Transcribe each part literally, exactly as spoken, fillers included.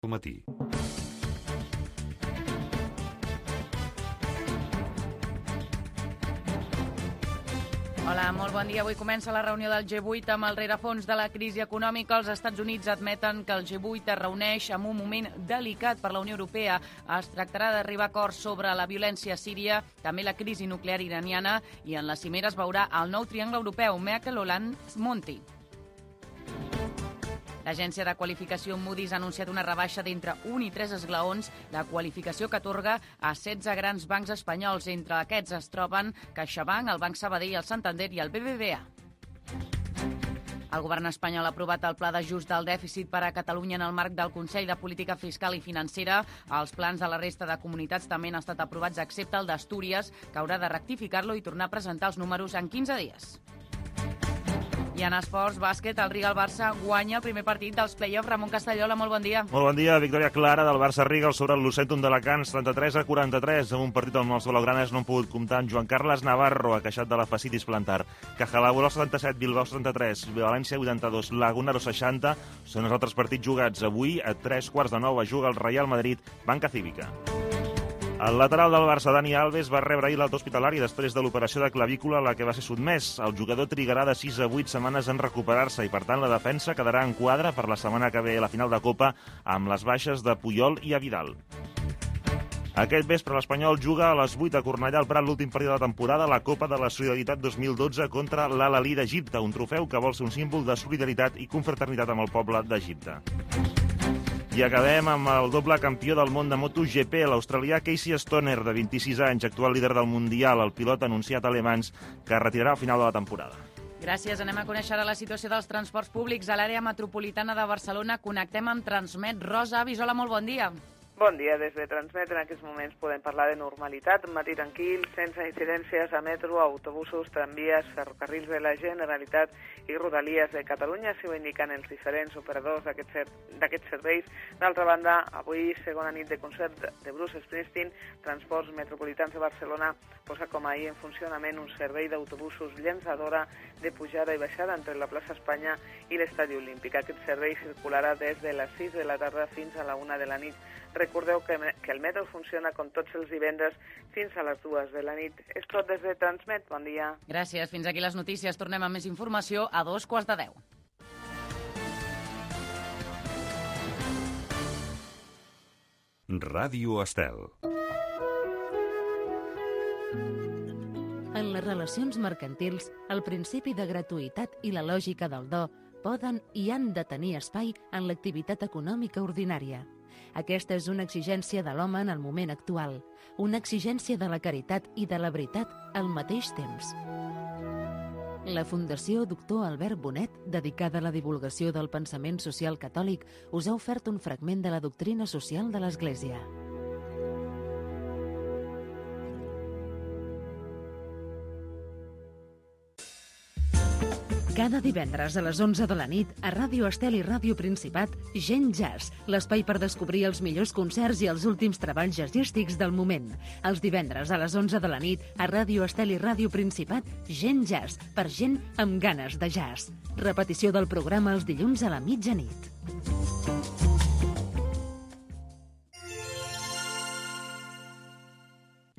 al matí. Hola, molt bon dia. Avui comença la reunió del G vuit amb el rerefons de la crisi econòmica. Els Estats Units admeten que el G vuit es reuneix en un moment delicat per la Unió Europea. Es tractarà d'arribar a acords sobre la violència a Síria, també la crisi nuclear iraniana, i en la cimera es veurà el nou triangle europeu, Merkel, Hollande, Monti. L'agència de qualificació Moody's ha anunciat una rebaixa d'entre un i tres esglaons, la qualificació que atorga a setze grans bancs espanyols. Entre aquests es troben CaixaBank, el Banc Sabadell, el Santander i el B B V A. El govern espanyol ha aprovat el pla d'ajust del dèficit per a Catalunya en el marc del Consell de Política Fiscal i Financera. Els plans de la resta de comunitats també han estat aprovats, excepte el d'Astúries, que haurà de rectificar-lo i tornar a presentar els números en quinze dies. I en esports, bàsquet, el Riga-Barça guanya el primer partit dels play-offs. Ramon Castellola, molt bon dia. Molt bon dia. Victòria clara del Barça-Riga sobre el Lucentum d'Alacant, trenta-tres a quaranta-tres. En un partit on els blaugranes no han pogut comptar amb Joan Carles Navarro, ha queixat de la fascitis plantar. Cajalaburo setanta-set, Bilbao setanta-tres, València vuitanta-dos, Lagunaro seixanta. Són els altres partits jugats avui. A tres quarts de nou es juga el Real Madrid, Banca Cívica. El lateral del Barça, Dani Alves, va rebre ahir l'alta hospitalari després de l'operació de clavícula a la que va ser sotmès. El jugador trigarà de sis a vuit setmanes en recuperar-se i, per tant, la defensa quedarà en quadre per la setmana que ve a la final de Copa amb les baixes de Puyol i Vidal. Aquest vespre l'Espanyol juga a les vuit a Cornellà al Prat l'últim partit de la temporada, la Copa de la Solidaritat dos mil dotze contra l'Al-Ahly d'Egipte, un trofeu que vol ser un símbol de solidaritat i confraternitat amb el poble d'Egipte. I acabem amb el doble campió del món de MotoGP, l'australià Casey Stoner, de vint-i-sis anys, actual líder del Mundial. El pilot ha anunciat a Le Mans que es retirarà al final de la temporada. Gràcies. Anem a conèixer ara la situació dels transports públics a l'àrea metropolitana de Barcelona. Connectem amb Transmet. Rosa Avisola, molt bon dia. Bon dia, des de Transmet. En aquests moments podem parlar de normalitat, un matí tranquil, sense incidències a metro, autobusos, tramvies, ferrocarrils de la Generalitat i Rodalies de Catalunya, si ho indiquen els diferents operadors d'aquests serveis. D'altra banda, avui, segona nit de concert de Bruce Springsteen, Transports Metropolitans de Barcelona posa com ahir en funcionament un servei d'autobusos llançadora de pujada i baixada entre la plaça Espanya i l'Estadi Olímpic. Aquest servei circularà des de les sis de la tarda fins a la una de la nit. Recordeu que, que el metro funciona com tots els divendres fins a les dues de la nit. És tot des de Transmet. Bon dia. Gràcies. Fins aquí les notícies. Tornem amb més informació a dos quarts de deu. Ràdio Estel. En les relacions mercantils, el principi de gratuïtat i la lògica del do poden i han de tenir espai en l'activitat econòmica ordinària. Aquesta és una exigència de l'home en el moment actual, una exigència de la caritat i de la veritat al mateix temps. La Fundació Doctor Albert Bonet, dedicada a la divulgació del pensament social catòlic, us ha ofert un fragment de la doctrina social de l'Església. Cada divendres a les onze de la nit, a Ràdio Estel i Ràdio Principat, Gent Jazz, l'espai per descobrir els millors concerts i els últims treballs jazzístics del moment. Els divendres a les onze de la nit, a Ràdio Estel i Ràdio Principat, Gent Jazz, per gent amb ganes de jazz. Repetició del programa els dilluns a la mitjanit.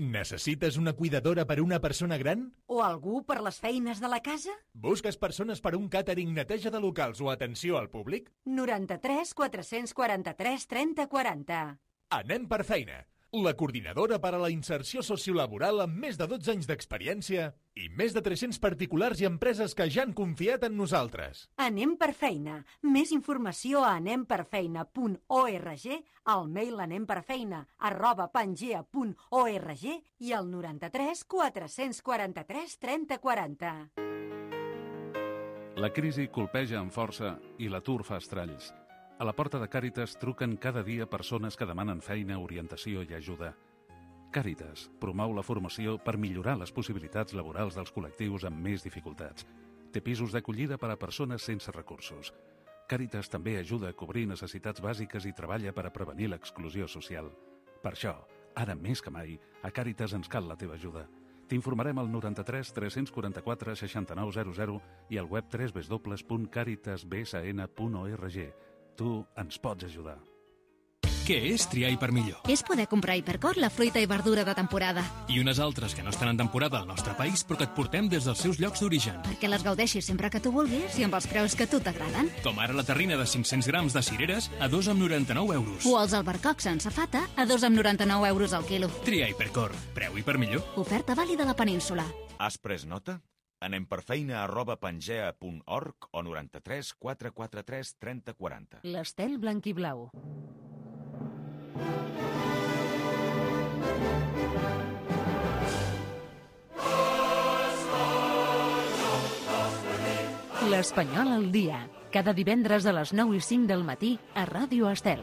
Necessites una cuidadora per a una persona gran? O algú per les feines de la casa? Busques persones per a un càtering, neteja de locals o atenció al públic? noranta-tres quatre-cents quaranta-tres trenta quaranta. Anem per feina. La coordinadora per a la inserció sociolaboral amb més de dotze anys d'experiència i més de tres-cents particulars i empreses que ja han confiat en nosaltres. Anem per feina. Més informació a anem per feina punt org, al mail anemperfeina arroba pangea punt org i al noranta-tres quatre-cents quaranta-tres trenta quaranta. La crisi colpeja amb força i l'atur fa estralls. A la porta de Càritas truquen cada dia persones que demanen feina, orientació i ajuda. Càritas promou la formació per millorar les possibilitats laborals dels col·lectius amb més dificultats. Té pisos d'acollida per a persones sense recursos. Càritas també ajuda a cobrir necessitats bàsiques i treballa per a prevenir l'exclusió social. Per això, ara més que mai, a Càritas ens cal la teva ajuda. T'informarem al noranta-tres tres-cents quaranta-quatre seixanta-nou zero zero i al web w w w punt caritas b s n punt org. Tu ens pots ajudar. Què és triar per millor? És poder comprar Hipercor, la fruita i verdura de temporada. I unes altres que no estan en temporada al nostre país, però que et portem des dels seus llocs d'origen. Perquè les gaudeixis sempre que tu vulguis i amb els preus que a tu t'agraden. Com ara la terrina de cinc-cents grams de cireres a dos amb noranta-nou euros. O els albercocs sense fata a dos amb noranta-nou euros al quilo. Tria Hipercor. Preu i per millor. Oferta vàlida a la península. Has pres nota? Anem per feina arroba pangea punt org o noranta-tres quatre quatre tres trenta quaranta. L'Estel blanquiblau. L'Espanyol al dia. Cada divendres a les nou i cinc del matí a Ràdio Estel.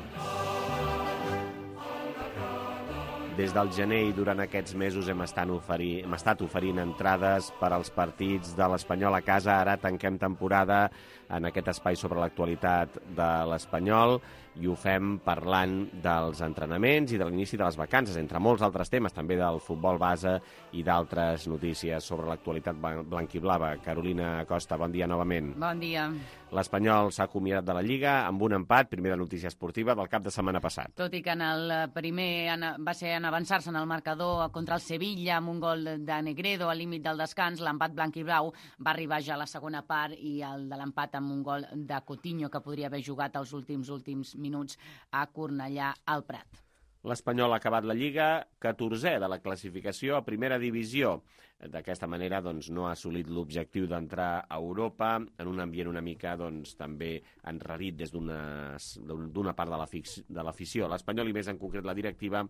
Des del gener i durant aquests mesos hem estat, oferir, hem estat oferint entrades per als partits de l'Espanyol a casa. Ara tanquem temporada en aquest espai sobre l'actualitat de l'Espanyol i ho fem parlant dels entrenaments i de l'inici de les vacances, entre molts altres temes, també del futbol base i d'altres notícies sobre l'actualitat blanquiblava. Carolina Costa, bon dia novament. Bon dia. L'Espanyol s'ha acomiadat de la Lliga amb un empat, primera notícia esportiva del cap de setmana passat. Tot i que en el primer va ser en avançar-se en el marcador contra el Sevilla amb un gol de Negredo al límit del descans, l'empat blanc i blau va arribar ja a la segona part i el de l'empat amb un gol de Coutinho que podria haver jugat els últims últims minuts a Cornellà al Prat. L'Espanyol ha acabat la Lliga catorzè de la classificació a primera divisió. D'aquesta manera doncs, no ha assolit l'objectiu d'entrar a Europa en un ambient una mica doncs, també enrarit des d'una part de l'afició. L'Espanyol, i més en concret la directiva,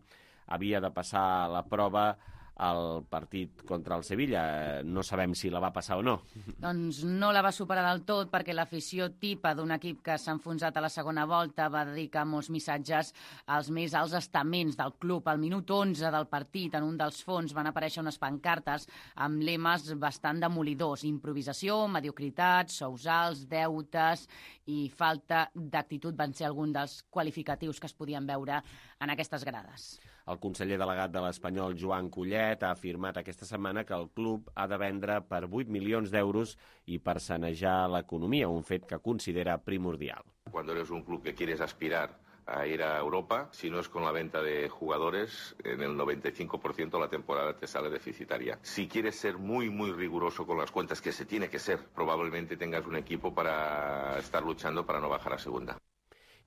havia de passar la prova al partit contra el Sevilla. No sabem si la va passar o no. Doncs no la va superar del tot perquè l'afició tipa d'un equip que s'ha enfonsat a la segona volta va dedicar molts missatges als més alts estaments del club. Al minut onze del partit, en un dels fons, van aparèixer unes pancartes amb lemes bastant demolidors. Improvisació, mediocritat, sous alts, deutes i falta d'actitud van ser alguns dels qualificatius que es podien veure en aquestes grades. El conseller delegat de l'Espanyol, Joan Collet, ha afirmat aquesta setmana que el club ha de vendre per vuit milions d'euros i per sanejar l'economia, un fet que considera primordial. Cuando eres un club que quieres aspirar a ir a Europa, si no es con la venta de jugadores, en el noventa y cinco por ciento la temporada te sale deficitaria. Si quieres ser muy, muy riguroso con las cuentas, que se tiene que ser, probablemente tengas un equipo para estar luchando para no bajar a segunda.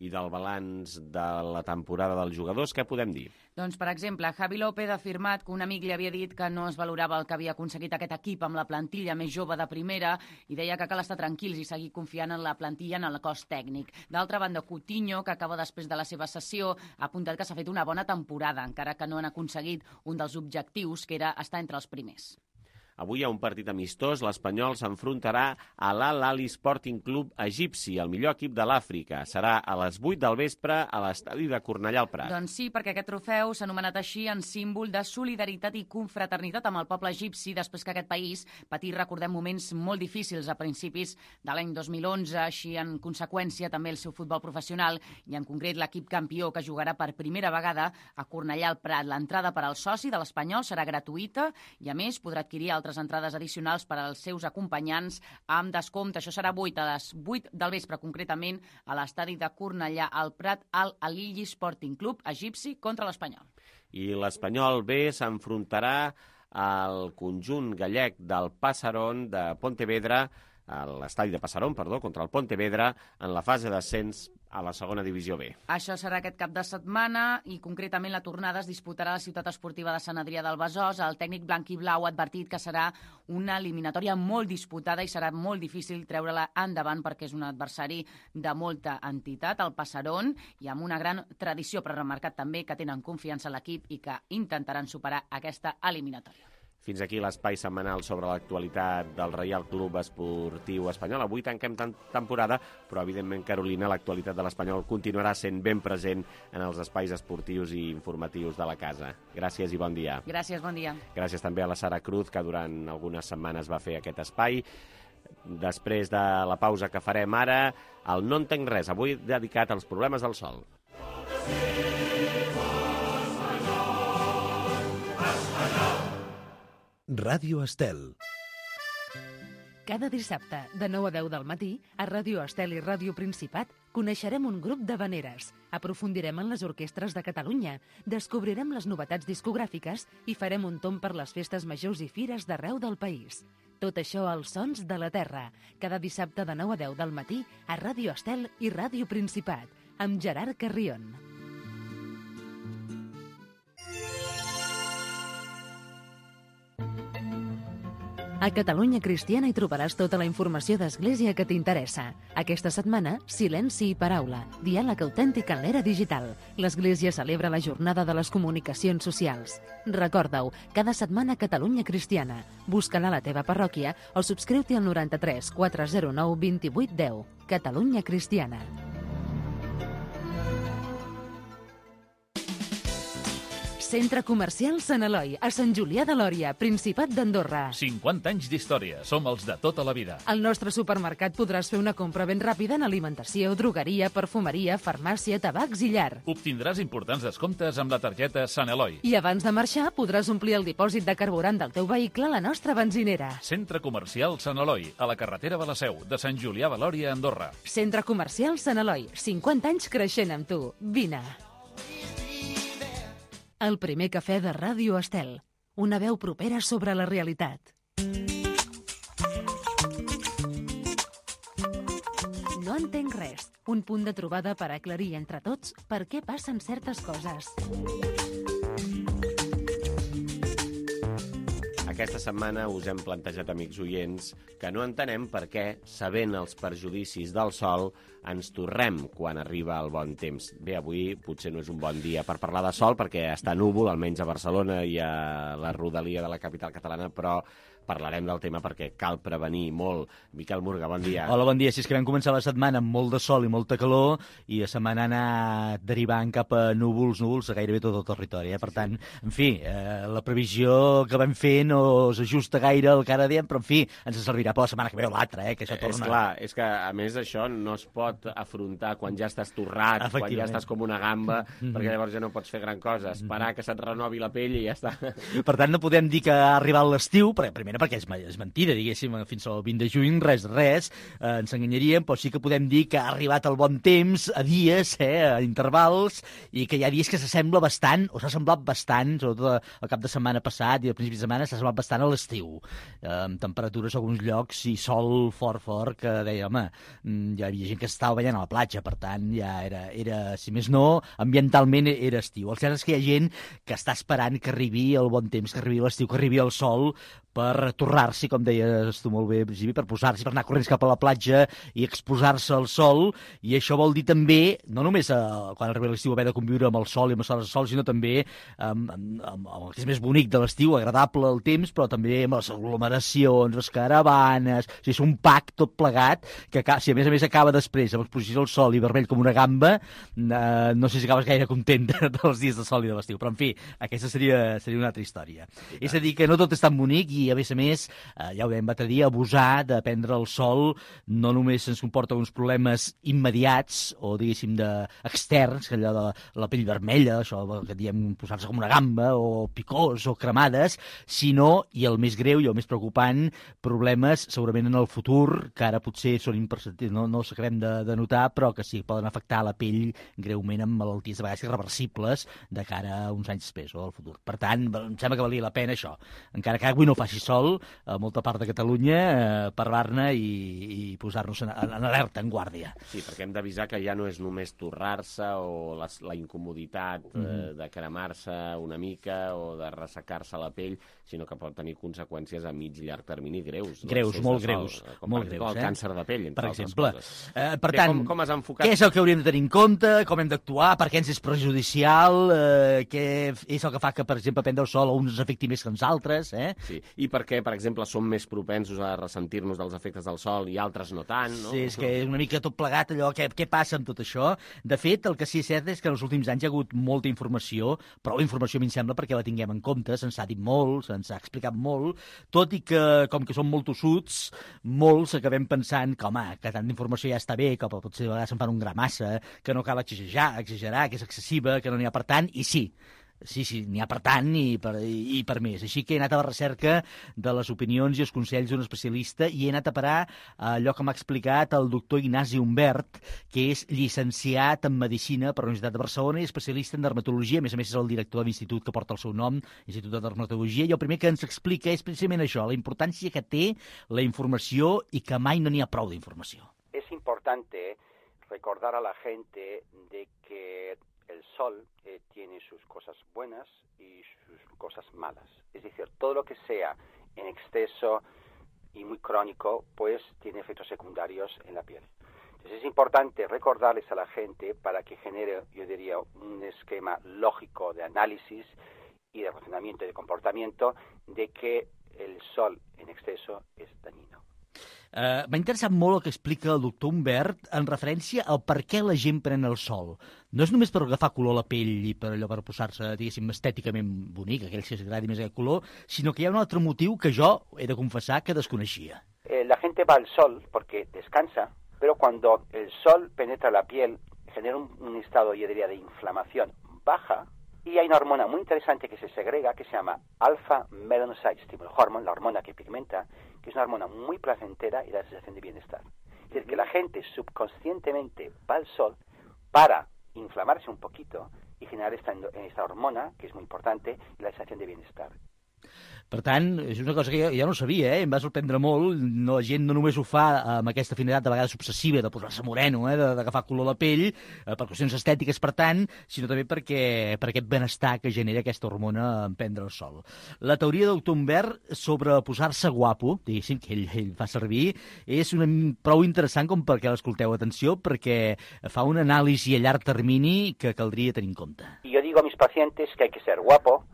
I del balanç de la temporada dels jugadors, què podem dir? Doncs, per exemple, Javi López ha afirmat que un amic li havia dit que no es valorava el que havia aconseguit aquest equip amb la plantilla més jove de primera i deia que cal estar tranquils i seguir confiant en la plantilla, en el cos tècnic. D'altra banda, Coutinho, que acaba després de la seva sessió, ha apuntat que s'ha fet una bona temporada, encara que no han aconseguit un dels objectius, que era estar entre els primers. Avui hi ha un partit amistós. L'Espanyol s'enfrontarà a l'Al-Ahly Sporting Club egipci, el millor equip de l'Àfrica. Serà a les vuit del vespre a l'estadi de Cornellà al Prat. Doncs sí, perquè aquest trofeu s'ha anomenat així en símbol de solidaritat i confraternitat amb el poble egipci després que aquest país patís, recordem, moments molt difícils a principis de l'any dos mil onze, així en conseqüència també el seu futbol professional i en concret l'equip campió que jugarà per primera vegada a Cornellà al Prat. L'entrada per al soci de l'Espanyol serà gratuïta i a més podrà adquirir altres entrades addicionals per als seus acompanyants amb descompte. Això serà vuit a les vuit del vespre, concretament a l'estadi de Cornellà al Prat, al Al-Ahly Sporting Club egipci contra l'Espanyol. I l'Espanyol B s'enfrontarà al conjunt gallec del Passaron de Pontevedra, a l'estadi de Passaron, perdó, contra el Pontevedra, en la fase d'ascens a la segona divisió B. Això serà aquest cap de setmana i concretament la tornada es disputarà a la ciutat esportiva de Sant Adrià del Besòs. El tècnic blanc i blau ha advertit que serà una eliminatòria molt disputada i serà molt difícil treure-la endavant perquè és un adversari de molta entitat, el Passaron, i amb una gran tradició, però ha remarcat també que tenen confiança en l'equip i que intentaran superar aquesta eliminatòria. Fins aquí l'espai setmanal sobre l'actualitat del Reial Club Esportiu Espanyol. Avui tanquem temporada, però evidentment, Carolina, l'actualitat de l'Espanyol continuarà sent ben present en els espais esportius i informatius de la casa. Gràcies i bon dia. Gràcies, bon dia. Gràcies també a la Sara Cruz, que durant algunes setmanes va fer aquest espai. Després de la pausa que farem ara, el No entenc res, avui dedicat als problemes del sol. Ràdio Estel. Cada dissabte, de nou a deu del matí, a Ràdio Estel i Ràdio Principat, coneixerem un grup d'havaneres, aprofundirem en les orquestres de Catalunya, descobrirem les novetats discogràfiques i farem un tomb per les festes majors i fires d'arreu del país. Tot això als Sons de la Terra, cada dissabte de nou a deu del matí a Ràdio Estel i Ràdio Principat, amb Gerard Carrion. A Catalunya Cristiana hi trobaràs tota la informació d'Església que t'interessa. Aquesta setmana, Silenci i Paraula, diàleg autèntic en l'era digital. L'Església celebra la jornada de les comunicacions socials. Recorda-ho, cada setmana Catalunya Cristiana. Busca-la a la teva parròquia o subscriu-t'hi al noranta-tres quatre zero nou vint vuit deu. Catalunya Cristiana. Centre Comercial Sant Eloi, a Sant Julià de Lòria, Principat d'Andorra. cinquanta anys d'història. Som els de tota la vida. Al nostre supermercat podràs fer una compra ben ràpida en alimentació, drogueria, perfumeria, farmàcia, tabacs i llar. Obtindràs importants descomptes amb la targeta Sant Eloi. I abans de marxar podràs omplir el dipòsit de carburant del teu vehicle a la nostra benzinera. Centre Comercial Sant Eloi, a la carretera de la Seu, de Sant Julià de Lòria, Andorra. Centre Comercial Sant Eloi, cinquanta anys creixent amb tu. Vine. El primer cafè de Ràdio Estel. Una veu propera sobre la realitat. No entenc res. Un punt de trobada per aclarir entre tots per què passen certes coses. Aquesta setmana us hem plantejat, amics oients, que no entenem per què, sabent els perjudicis del sol, ens torrem quan arriba el bon temps. Bé, avui potser no és un bon dia per parlar de sol, perquè està núvol, almenys a Barcelona i a la rodalia de la capital catalana, però parlarem del tema perquè cal prevenir molt. Miquel Murga, bon dia. Hola, bon dia. Si és que vam començar la setmana amb molt de sol i molta calor i la setmana ha anat derivant cap a núvols, núvols a gairebé tot el territori. Eh? Per tant, en fi, eh, la previsió que vam fer no s'ajusta gaire al que ara diem, però en fi, ens servirà per la setmana que ve o l'altra, eh? que això torna. És clar, és que a més això no es pot afrontar quan ja estàs torrat, quan ja estàs com una gamba, mm-hmm. perquè llavors ja no pots fer gran cosa, esperar que se't renovi la pell i ja està. Per tant, no podem dir que ha arribat l'estiu, perquè primera perquè és, és mentida, diguéssim, fins al vint de juny, res, res, eh, ens enganyaríem, però sí que podem dir que ha arribat el bon temps a dies, eh, a intervals, i que hi ha dies que s'assembla bastant, o s'ha semblat bastant, sobretot el cap de setmana passat i al principi de setmana, s'ha semblat bastant a l'estiu, eh, amb temperatures a alguns llocs i sol fort, fort, que deia, home, ja hi havia gent que estava ballant a la platja, per tant, ja era, era si més no, ambientalment era estiu. El cert és que hi ha gent que està esperant que arribi el bon temps, que arribi l'estiu, que arribi el sol, per torrar-s'hi, com deies tu molt bé, Givi, per posar-s'hi, per anar corrents cap a la platja i exposar-se al sol, i això vol dir també, no només eh, quan arriba l'estiu haver de conviure amb el sol i amb les hores de sol, sinó també amb, amb, amb, amb el que és més bonic de l'estiu, agradable el temps, però també amb les aglomeracions, les caravanes, o sigui, és un pack tot plegat, que si a més a més acaba després amb exposició al sol i vermell com una gamba, eh, no sé si acabes gaire content dels dies de sol i de l'estiu, però en fi, aquesta seria, seria una altra història. Sí, és a dir, que no tot és tan bonic i a més a més, eh, ja ho dèiem l'altre dia, abusar de prendre el sol no només ens comporta uns problemes immediats o diguéssim de externs, que allò de la pell vermella, això que diem posar-se com una gamba o picors o cremades, sinó, i el més greu i el més preocupant, problemes segurament en el futur, que ara potser són imperceptibles, no, no els acabem de, de notar, però que sí, poden afectar la pell greument amb malalties de vegades irreversibles de cara a uns anys després o al futur. Per tant, em sembla que valia la pena això, encara que avui no faci sol a molta part de Catalunya, eh, parlar-ne i, i posar-nos en, en alerta, en guàrdia. Sí, perquè hem d'avisar que ja no és només torrar-se o la, la incomoditat mm -hmm. eh, de cremar-se una mica o de ressecar-se la pell, sinó que pot tenir conseqüències a mig i llarg termini greus. Greus, molt greus. Sol, com molt per greus, exemple el eh? càncer de pell, entre per altres exemple. coses. Eh, per Bé, tant, com, com has enfocat... què és el que hauríem de tenir en compte, com hem d'actuar, per què ens és perjudicial, eh, què és el que fa que, per exemple, prendre el sol a uns afecti més que uns altres, eh? Sí, i per què, per exemple, som més propensos a ressentir-nos dels efectes del sol i altres no tant, no? Sí, és que és una mica tot plegat allò, què, què passa amb tot això? De fet, el que sí és cert és que en els últims anys hi ha hagut molta informació, prou informació a mi em sembla perquè la tinguem en compte, se'ns ha dit molt, se'ns ha explicat molt, tot i que, com que som molt tossuts, molts acabem pensant que, home, que tant d'informació ja està bé, que potser a vegades se'n fan un gra massa, que no cal exagerar, exagerar, que és excessiva, que no n'hi ha per tant, i sí, Sí, sí, n'hi ha per tant i per, i per més. Així que he anat a la recerca de les opinions i els consells d'un especialista i he anat a parar a allò que m'ha explicat el doctor Ignasi Humbert, que és llicenciat en Medicina per la Universitat de Barcelona i especialista en dermatologia. A més a més, és el director de l'institut que porta el seu nom, Institut de Dermatologia, i el primer que ens explica és precisament això, la importància que té la informació i que mai no n'hi ha prou d'informació. Es importante recordar a la gente de que el sol eh, tiene sus cosas buenas y sus cosas malas. Es decir, todo lo que sea en exceso y muy crónico, pues tiene efectos secundarios en la piel. Entonces es importante recordarles a la gente para que genere, yo diría, un esquema lógico de análisis y de razonamiento y de comportamiento de que el sol en exceso es dañino. Uh, M'ha interessat molt el que explica el doctor Humbert en referència al per què la gent pren el sol. No és només per agafar color a la pell i per allò per posar-se, diguéssim, estèticament bonic, aquell que s'agradi més aquest color, sinó que hi ha un altre motiu que jo he de confessar que desconeixia. Eh, la gente va al sol porque descansa, pero cuando el sol penetra la piel genera un, un estado, yo diría, de inflamación baja. Y hay una hormona muy interesante que se segrega, que se llama alpha-melanocyte stimulus hormone, la hormona que pigmenta, que es una hormona muy placentera y da sensación de bienestar. Es decir, que la gente subconscientemente va al sol para inflamarse un poquito y generar esta, esta hormona, que es muy importante, y la sensación de bienestar. Per tant, és una cosa que jo, jo no sabia, eh? Em va sorprendre molt. No, la gent no només ho fa amb aquesta afinitat de vegades obsessiva de posar-se moreno, eh? d'agafar color a la pell, eh, per qüestions estètiques, per tant, sinó també perquè, per aquest benestar que genera aquesta hormona en prendre el sol. La teoria del doctor Humbert sobre posar-se guapo, diguéssim, que ell, ell fa servir, és una, prou interessant com perquè l'escolteu. Atenció, perquè fa una anàlisi a llarg termini que caldria tenir en compte. Y yo digo a mis pacientes que hay que ser guapo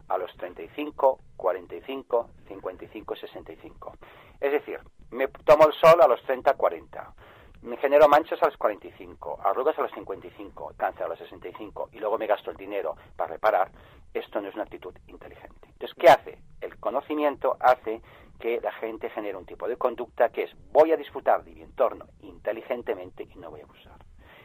a los treinta y cinco, cuarenta y cinco, cincuenta y cinco, sesenta y cinco. Es decir, me tomo el sol a los treinta, cuarenta, me genero manchas a los cuarenta y cinco, arrugas a los cincuenta y cinco, cáncer a los sesenta y cinco y luego me gasto el dinero para reparar. Esto no es una actitud inteligente. Entonces, ¿qué hace? El conocimiento hace que la gente genere un tipo de conducta que es voy a disfrutar de mi entorno inteligentemente y no voy a abusar.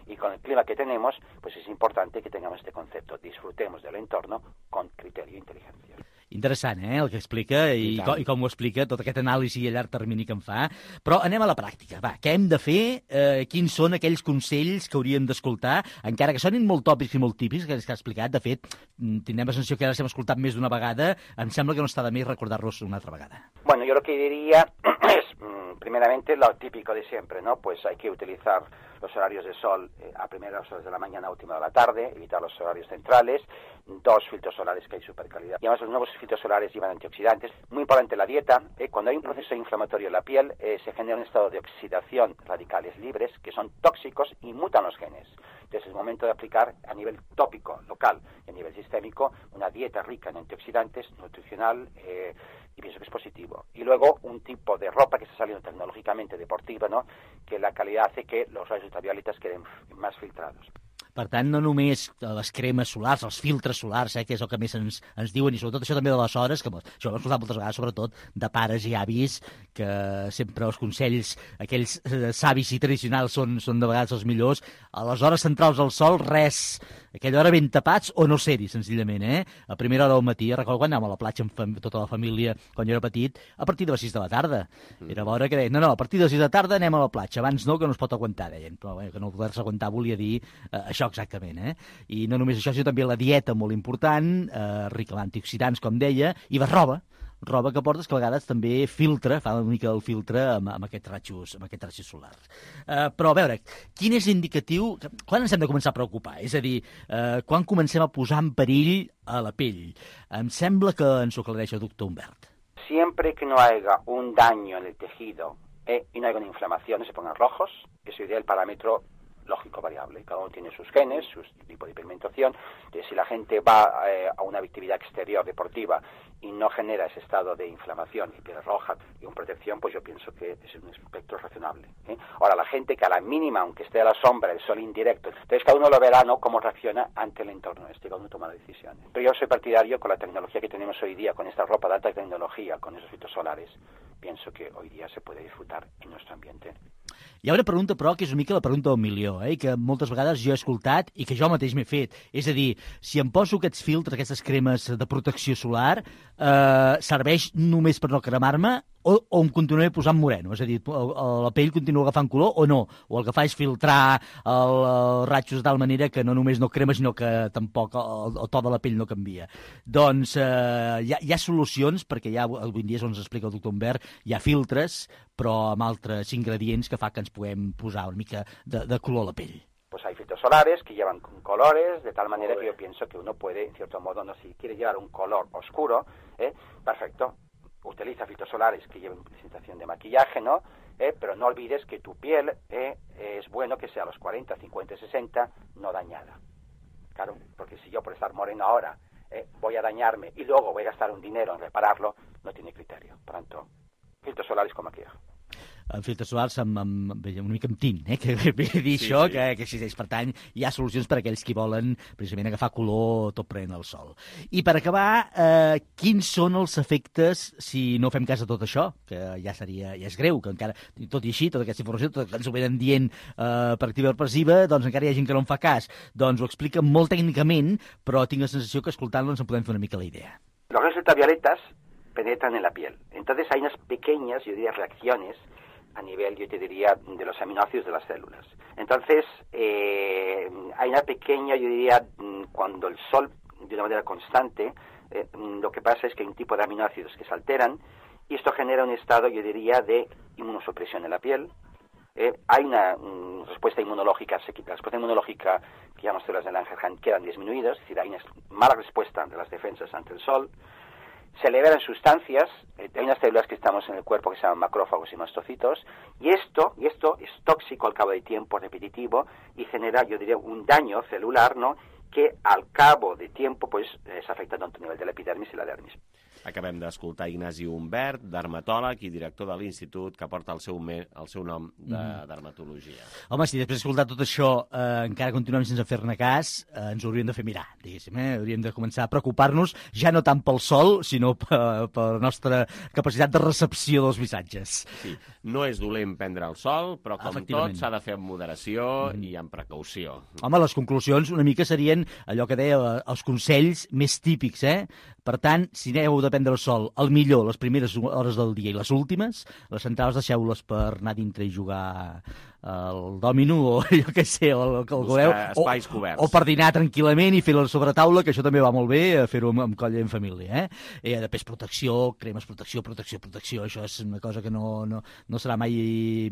Y con el clima que tenemos, pues es importante que tengamos este concepto. Disfrutemos del entorno con criterio e inteligencia. Interessant, eh, el que explica i, I, com, i com ho explica, tot aquest anàlisi a llarg termini que en fa. Però anem a la pràctica. Va, què hem de fer? Eh, quins són aquells consells que hauríem d'escoltar? Encara que sonin molt tòpics i molt típics, que ha explicat. De fet, tindrem la sensació que ara s'hem escoltat més d'una vegada. Em sembla que no està de més recordar-los una altra vegada. Bueno, yo lo que diría es, primeramente, lo típico de siempre, ¿no? Pues hay que utilizar los horarios de sol eh, a primeras horas de la mañana, a última de la tarde, evitar los horarios centrales, dos filtros solares que hay super calidad. Y además los nuevos filtros solares llevan antioxidantes. Muy importante la dieta. Eh, cuando hay un proceso inflamatorio en la piel, eh, se genera un estado de oxidación, radicales libres, que son tóxicos y mutan los genes. Entonces es momento de aplicar a nivel tópico, local y a nivel sistémico una dieta rica en antioxidantes, nutricional, eh, y pienso que es positivo. Y luego un tipo de ropa que está saliendo tecnológicamente deportiva, ¿no? Que la calidad hace que los rayos ultravioletas queden más filtrados. Per tant, no només les cremes solars, els filtres solars, eh, que és el que més ens, ens diuen, i sobretot això també de les hores, que això ho hem escoltat moltes vegades, sobretot de pares i avis, que sempre els consells, aquells eh, savis i tradicionals són, són de vegades els millors. A les hores centrals del sol, res. Aquella hora ben tapats o no ser-hi, senzillament, eh? A primera hora del matí, recordo quan anàvem a la platja amb tota la família, quan jo era petit, a partir de les sis de la tarda. Era l'hora que deien, no, no, a partir de les sis de la tarda anem a la platja, abans no, que no es pot aguantar, deien. Però bé, que no poder-se aguantar volia dir eh, això exactament, eh? I no només això, sinó també la dieta molt important, eh, rica en antioxidants, com deia, i la roba, roba que portes que a vegades també filtra, fa una mica el filtre amb, amb aquests ratxos, amb aquests ratxos solars. Uh, però a veure, quin és l'indicatiu, quan ens hem de començar a preocupar? És a dir, uh, quan comencem a posar en perill a la pell? Em sembla que ens ho aclareix el doctor Humbert. Siempre que no haya un daño en el tejido eh, y no haya una inflamación, se pongan rojos, ese sería el parámetro lógico variable. Cada uno tiene sus genes, su tipo de pigmentación. Entonces, si la gente va eh, a una actividad exterior deportiva y no genera ese estado de inflamación y piel roja y una protección, pues yo pienso que es un espectro razonable. ¿eh? Ahora, la gente que a la mínima, aunque esté a la sombra, el sol indirecto, entonces cada uno lo verá, ¿no?, cómo reacciona ante el entorno este, cada uno toma decisiones. Pero yo soy partidario, con la tecnología que tenemos hoy día, con esta ropa de alta tecnología, con esos filtros solares, pienso que hoy día se puede disfrutar en nuestro ambiente. Hi ha una pregunta, però, que és una mica la pregunta del milió, eh? que moltes vegades jo he escoltat i que jo mateix m'he fet. És a dir, si em poso aquests filtres, aquestes cremes de protecció solar, eh, serveix només per no cremar-me o, o em continuaré posant moreno? És a dir, la pell continua agafant color o no? O el que fa és filtrar els ratxos de tal manera que no només no crema, sinó que tampoc el, el to de la pell no canvia. Doncs eh, hi, ha, hi ha solucions, perquè ja avui en dia, ens explica el doctor Humbert, hi ha filtres, però amb altres ingredients que fa que ens puguem posar una mica de, de color a la pell. Pues hay filtros solares que llevan colores, de tal manera que yo pienso que uno puede, en cierto modo, no si quiere llevar un color oscuro, ¿eh? Perfecto. Utiliza filtros solares que lleven presentación de maquillaje, ¿no? ¿Eh? Pero no olvides que tu piel eh, es bueno que sea a los cuarenta, cincuenta, sesenta, no dañada. Claro, porque si yo por estar moreno ahora eh, voy a dañarme y luego voy a gastar un dinero en repararlo, no tiene criterio. Por tanto, filtros solares con maquillaje. En filtres solars amb, amb, una mica amb tint, eh? que ve a dir sí, això, sí. Que, que existeix. Per tant, hi ha solucions per a aquells que volen precisament agafar color tot prenent el sol. I per acabar, eh, quins són els efectes si no fem cas de tot això? Que ja seria, ja és greu, que encara, tot i així, tota aquesta informació, tot que ens ho venen dient eh, per activa o per passiva, doncs encara hi ha gent que no en fa cas. Doncs ho explica molt tècnicament, però tinc la sensació que escoltant-lo ens en podem fer una mica la idea. Los rayos ultravioletas penetran en la piel. Entonces hay unas pequeñas, yo diría, reacciones a nivel, yo te diría, de los aminoácidos de las células. Entonces, eh, hay una pequeña, yo diría, cuando el sol, de una manera constante, eh, lo que pasa es que hay un tipo de aminoácidos que se alteran y esto genera un estado, yo diría, de inmunosupresión en la piel. Eh, hay una um, respuesta inmunológica, se quita la respuesta inmunológica que llamamos células de Langerhans quedan disminuidas, es decir, hay una mala respuesta de las defensas ante el sol. Se liberan sustancias, eh, hay unas células que estamos en el cuerpo que se llaman macrófagos y mastocitos, y esto, y esto es tóxico al cabo del tiempo, repetitivo, y genera, yo diría, un daño celular, ¿no?, que al cabo de tiempo pues es afecta tanto a nivel de la epidermis i la dermis. Acabem d'escoltar Ignasi Humbert, dermatòleg i director de l'institut que porta el seu, me, el seu nom de mm. dermatologia. Home, si després d'escoltar tot això eh, encara continuem sense fer-ne cas, eh, ens ho hauríem de fer mirar, diguéssim. Eh? Hauríem de començar a preocupar-nos ja no tant pel sol, sinó per, per la nostra capacitat de recepció dels missatges. Sí, no és dolent prendre el sol, però com tot s'ha de fer amb moderació mm. i amb precaució. Home, les conclusions una mica serien allò que deia els consells més típics, eh? Per tant, si aneu de prendre el sol, el millor les primeres hores del dia i les últimes, les centrals deixeu-les per anar dintre i jugar el dòmino o jo què sé, o el que el voleu, espais coberts. O per dinar tranquil·lament i fer-ho a sobre taula, que això també va molt bé, fer-ho amb, amb colla i en família. Eh? I després protecció, cremes, protecció, protecció, protecció, això és una cosa que no, no, no serà mai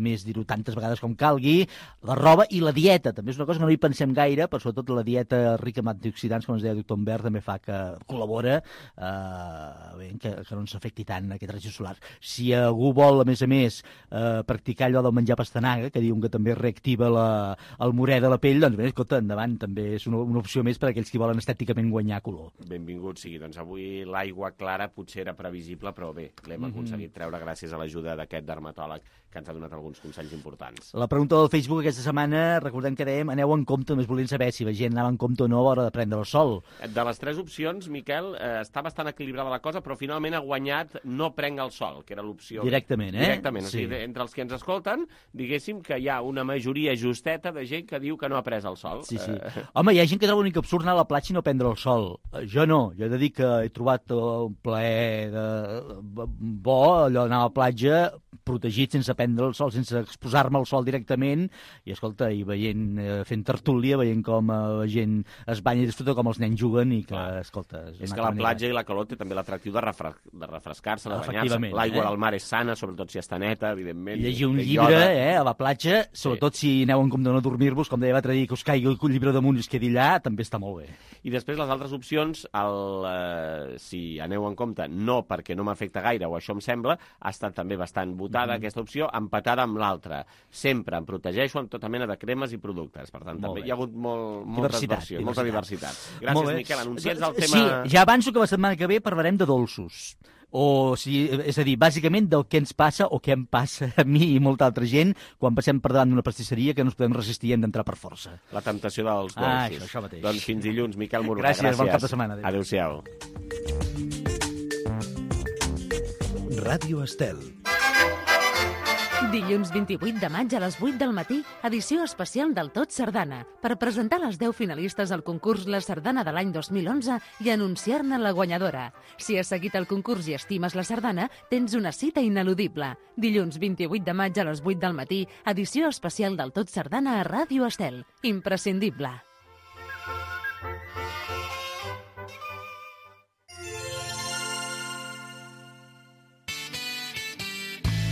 més dir-ho tantes vegades com calgui. La roba i la dieta, també és una cosa que no hi pensem gaire, però sobretot la dieta rica en antioxidants, com ens deia el doctor Humbert, també fa que col·labora eh, bé, que, que no ens afecti tant aquest rajos solars. Si algú vol, a més a més, eh, practicar allò del menjar pastanaga, que diuen que també reactiva la, el morè de la pell, doncs bé, escolta, endavant, també és una, una opció més per a aquells que volen estèticament guanyar color. Benvingut sigui. Doncs avui l'aigua clara potser era previsible, però bé, l'hem mm-hmm. aconseguit treure gràcies a l'ajuda d'aquest dermatòleg que ens ha donat alguns consells importants. La pregunta del Facebook aquesta setmana, recordem que dèiem, aneu en compte, només volien saber si la gent anava en compte o no a l'hora de prendre el sol. De les tres opcions, Miquel, eh, està bastant equilibrada la cosa, però finalment ha guanyat no prenc el sol, que era l'opció... Directament, eh? Directament, sí. O sigui, entre els que ens escolten, diguéssim que hi ha una majoria justeta de gent que diu que no ha pres el sol. Sí, sí. Eh... Home, hi ha gent que troba l'únic absurd anar a la platja i no prendre el sol. Jo no, jo he de dir que he trobat un plaer de... bo, allò d'anar a la platja protegit sense prendre el sol, sense exposar-me al sol directament, i escolta, i veient, eh, fent tertúlia, veient com eh, la gent es banya i disfruta, com els nens juguen, i que, Clar. escolta... És, és que la manera... platja i la calor té també l'atractiu de, refre... de refrescar-se, de banyar-se. L'aigua eh? del mar és sana, sobretot si està neta, evidentment. Llegir un llibre eh, a la platja, sobretot sí. si aneu en compte de no dormir-vos, com deia l'altre dia, que us caigui el llibre damunt i es quedi allà, també està molt bé. I després les altres opcions, el, eh, si aneu en compte, no perquè no m'afecta gaire, o això em sembla, ha estat també bastant votada mm-hmm. aquesta opció, empatada amb l'altra. Sempre em protegeixo amb tota mena de cremes i productes. Per tant, molt també bé. Hi ha hagut molt, moltes versions, diversitat. molta diversitat. Gràcies, Miquel. Anunciats el tema... Sí, ja avanço que la setmana que ve parlarem de dolços. O, si, és a dir, bàsicament del que ens passa o què em passa a mi i molta altra gent quan passem per davant d'una pastisseria que no ens podem resistir i hem d'entrar per força. La temptació dels dolços. Ah, això, això mateix. Doncs fins dilluns, Miquel Morgà. Gràcies, gràcies, bon cap de setmana. Adéu-siau. Ràdio Estel. Dilluns vint-i-vuit de maig a les vuit del matí, edició especial del Tot Sardana, per presentar les deu finalistes al concurs La Sardana de l'any dos mil onze i anunciar-ne la guanyadora. Si has seguit el concurs i estimes la sardana, tens una cita ineludible. Dilluns vint-i-vuit de maig a les vuit del matí, edició especial del Tot Sardana a Ràdio Estel. Imprescindible.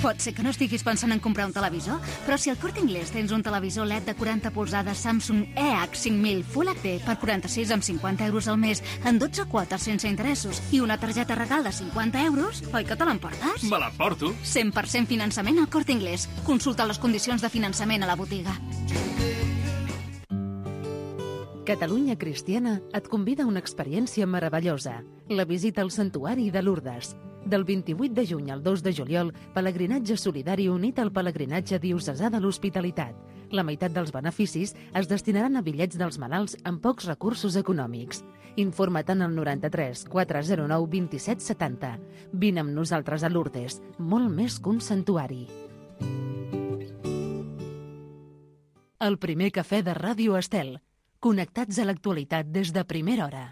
Pot ser que no estiguis pensant en comprar un televisor, però si al Corte Inglés tens un televisor L E D de quaranta polzades Samsung E H cinc mil Full H D per quaranta-sis amb cinquanta euros al mes en dotze quotes sense interessos i una targeta regal de cinquanta euros, oi que te l'emportes? Me l'emporto. cent per cent finançament al Corte Inglés. Consulta les condicions de finançament a la botiga. Catalunya Cristiana et convida a una experiència meravellosa, la visita al Santuari de Lourdes. Del vint-i-vuit de juny al dos de juliol, pelegrinatge solidari unit al pelegrinatge diocesà de l'Hospitalitat. La meitat dels beneficis es destinaran a bitllets dels malalts amb pocs recursos econòmics. Informa't en el noranta-tres quatre-cents nou vint-i-set setanta. Vine amb nosaltres a Lourdes, molt més que un santuari. El primer cafè de Ràdio Estel. Connectats a l'actualitat des de primera hora.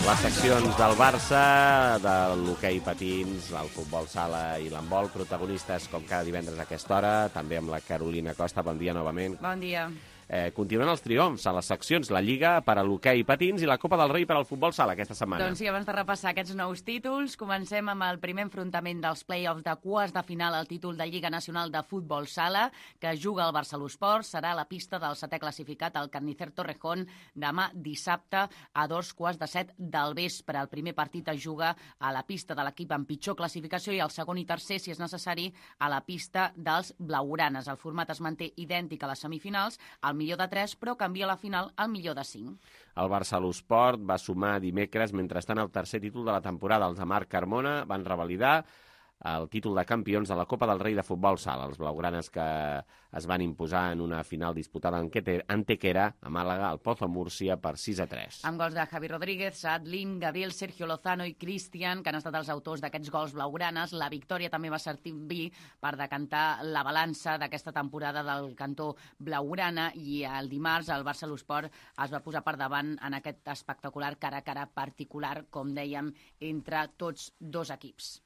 Les seccions del Barça, de l'hoquei patins, el futbol sala i l'handbol, protagonistes com cada divendres a aquesta hora, també amb la Carolina Costa. Bon dia novament. Bon dia. Eh, continuen els triomfs a les seccions, la Lliga per a l'hoquei patins i la Copa del Rei per al futbol sala aquesta setmana. Doncs sí, abans de repassar aquests nous títols, comencem amb el primer enfrontament dels play-offs de quarts de final al títol de Lliga Nacional de Futbol Sala, que juga el Barcelosport. Serà a la pista del setè classificat, el Carnicer Torrejón, demà dissabte a dos quarts de set del vespre. El primer partit es juga a la pista de l'equip amb pitjor classificació i el segon i tercer, si és necessari, a la pista dels blaugranes. El format es manté idèntic a les semifinals, el millor de tres, però canvia la final al millor de cinc. El Barcelosport va sumar dimecres, mentrestant, el tercer títol de la temporada. Els de Marc Carmona van revalidar el títol de campions de la Copa del Rei de Futbol Sala. Els blaugranes que es van imposar en una final disputada en Antequera, a Màlaga, al Pozo Múrcia, per sis a tres. Amb gols de Javi Rodríguez, Saad Lim, Gabriel, Sergio Lozano i Cristian, que han estat els autors d'aquests gols blaugranes. La victòria també va servir per decantar la balança d'aquesta temporada del cantó blaugrana i el dimarts el Barcelosport es va posar per davant en aquest espectacular cara a cara particular, com dèiem, entre tots dos equips.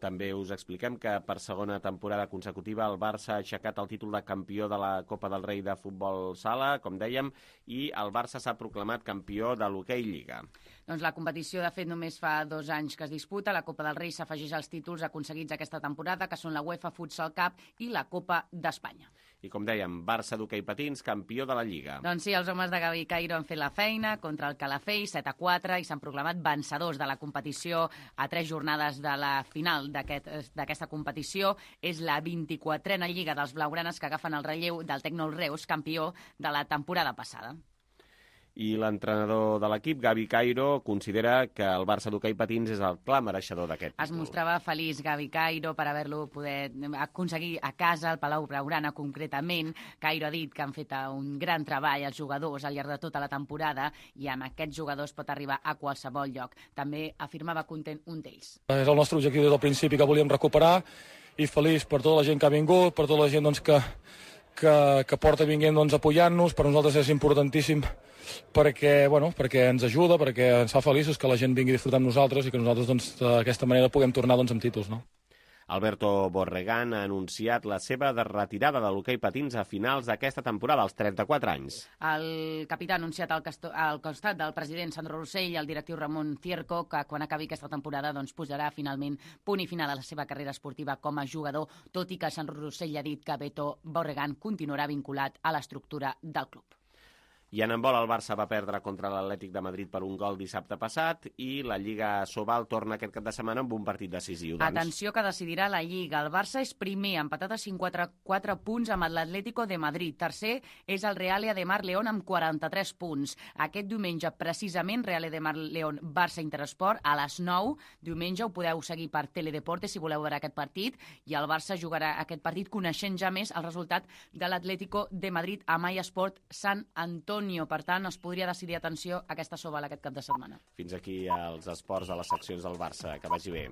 També us expliquem que per segona temporada consecutiva el Barça ha aixecat el títol de campió de la Copa del Rei de Futbol Sala, com dèiem, i el Barça s'ha proclamat campió de l'hoquei Lliga. Doncs la competició, de fet, només fa dos anys que es disputa. La Copa del Rei s'afegeix als títols aconseguits aquesta temporada, que són la UEFA Futsal Cup i la Copa d'Espanya. I com dèiem, Barça d'hoquei patins, campió de la Lliga. Doncs sí, els homes de Gavi Cairo han fet la feina contra el Calafell, set a quatre, i s'han proclamat vencedors de la competició a tres jornades de la final d'aquesta aquest, competició. És la vint-i-quatrena Lliga dels blaugranes que agafen el relleu del Tecnol Reus, campió de la temporada passada. I l'entrenador de l'equip, Gavi Cairo, considera que el Barça d'hoquei patins és el clar mereixedor d'aquest títol. Es mostrava feliç Gavi Cairo per haver-lo poder aconseguir a casa, al Palau Blaugrana concretament. Cairo ha dit que han fet un gran treball els jugadors al llarg de tota la temporada i amb aquests jugadors pot arribar a qualsevol lloc. També afirmava content un d'ells. És el nostre objectiu des del principi, que volíem recuperar, i feliç per tota la gent que ha vingut, per tota la gent doncs, que, que, que porta vinguent doncs, apoyant-nos. Per nosaltres és importantíssim perquè, bueno, perquè ens ajuda, perquè ens fa feliços que la gent vingui a disfrutar amb nosaltres i que nosaltres doncs, d'aquesta manera puguem tornar doncs, amb títols. No? Alberto Borregán ha anunciat la seva retirada de l'hoquei patins a finals d'aquesta temporada, als trenta-quatre anys. El capità ha anunciat al, al costat del president Sandro Rossell i el directiu Ramon Cierco que quan acabi aquesta temporada doncs, posarà finalment punt i final a la seva carrera esportiva com a jugador, tot i que Sandro Rossell ha dit que Beto Borregán continuarà vinculat a l'estructura del club. I en handbol el Barça va perdre contra l'Atlètic de Madrid per un gol dissabte passat i la Lliga Sobal torna aquest cap de setmana amb un partit decisiu. Doncs. Atenció que decidirà la Lliga. El Barça és primer, empatat a cinquanta-quatre punts amb l'Atlético de Madrid. Tercer és el Real de Mar León amb quaranta-tres punts. Aquest diumenge, precisament, Real de Mar León Barça Interesport a les nou. Diumenge ho podeu seguir per Teledeporte si voleu veure aquest partit. I el Barça jugarà aquest partit coneixent ja més el resultat de l'Atlético de Madrid a MySport Sant Antonio. Per tant, es podria decidir, atenció, aquesta Sobal aquest cap de setmana. Fins aquí els esports a les seccions del Barça. Que vagi bé.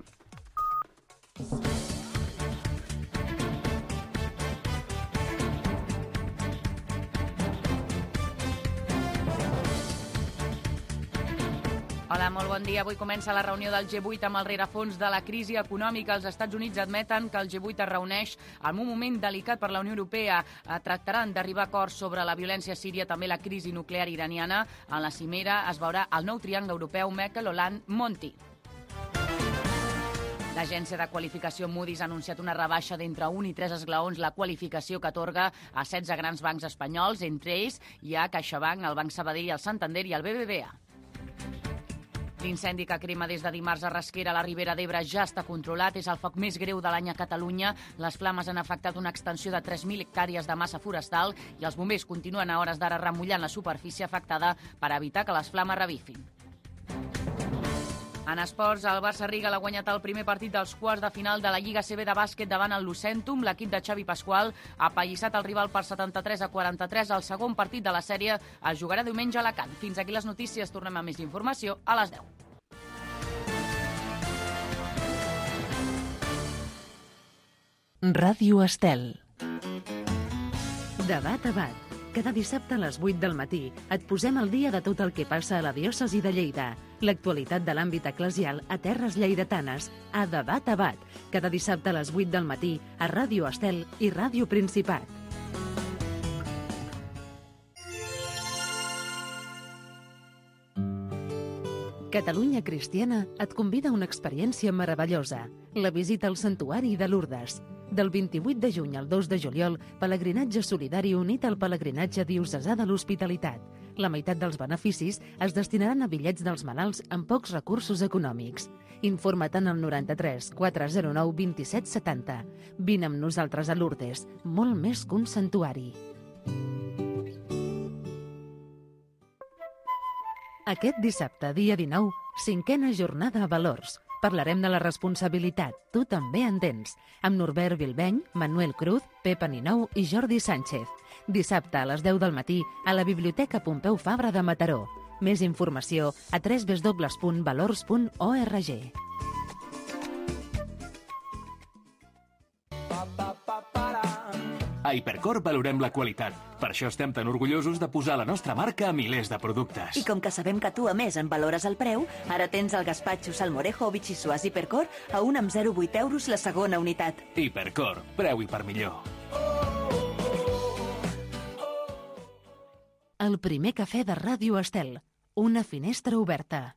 Hola, molt bon dia. Avui comença la reunió del G vuit amb el rerefons de la crisi econòmica. Els Estats Units admeten que el G vuit es reuneix en un moment delicat per la Unió Europea. Tractaran d'arribar a acords sobre la violència a Síria, també la crisi nuclear iraniana. En la cimera es veurà el nou triangle europeu Merkel, Hollande, Monti. L'agència de qualificació Moody's ha anunciat una rebaixa d'entre un i tres esglaons la qualificació que atorga a setze grans bancs espanyols. Entre ells hi ha CaixaBank, el Banc Sabadell, el Santander i el B B V A. L'incendi que crema des de dimarts a Rasquera a la Ribera d'Ebre ja està controlat. És el foc més greu de l'any a Catalunya. Les flames han afectat una extensió de tres mil hectàrees de massa forestal i els bombers continuen a hores d'ara remullant la superfície afectada per evitar que les flames revifin. En esports, el Barça Riga l'ha guanyat el primer partit dels quarts de final de la Lliga C B de bàsquet davant el Lucentum. L'equip de Xavi Pasqual ha apallissat el rival per setanta-tres a quaranta-tres. El segon partit de la sèrie es jugarà diumenge a Alacant. Fins aquí les notícies. Tornem a més informació a les deu. Ràdio Estel. Debat a bat. Cada dissabte a les vuit del matí et posem al dia de tot el que passa a la diòcesi de Lleida. L'actualitat de l'àmbit eclesial a terres lleidatanes, a Debat a Bat. Cada dissabte a les vuit del matí a Ràdio Estel i Ràdio Principat. Catalunya Cristiana et convida a una experiència meravellosa, la visita al Santuari de Lourdes. Del vint-i-vuit de juny al dos de juliol, pelegrinatge solidari unit al pelegrinatge diocesà de l'Hospitalitat. La meitat dels beneficis es destinaran a bitllets dels malalts amb pocs recursos econòmics. Informa't en el noranta-tres quatre zero nou vint-i-set setanta. Vine amb nosaltres a Lourdes, molt més que un santuari. Aquest dissabte, dia dinou, cinquena jornada a Valors. Parlarem de la responsabilitat, tu també en tens, amb Norbert Bilbeny, Manuel Cruz, Pep Aninou i Jordi Sánchez. Dissabte a les deu del matí a la Biblioteca Pompeu Fabra de Mataró. Més informació a w w w punt valors punt org. A Hipercor valorem la qualitat. Per això estem tan orgullosos de posar la nostra marca a milers de productes. I com que sabem que tu, a més, en valores el preu, ara tens el gaspatxo, salmorejo o bitxissuàs Hipercor a un amb zero coma vuit euros la segona unitat. Hipercor, preu i per millor. El primer cafè de Ràdio Estel. Una finestra oberta.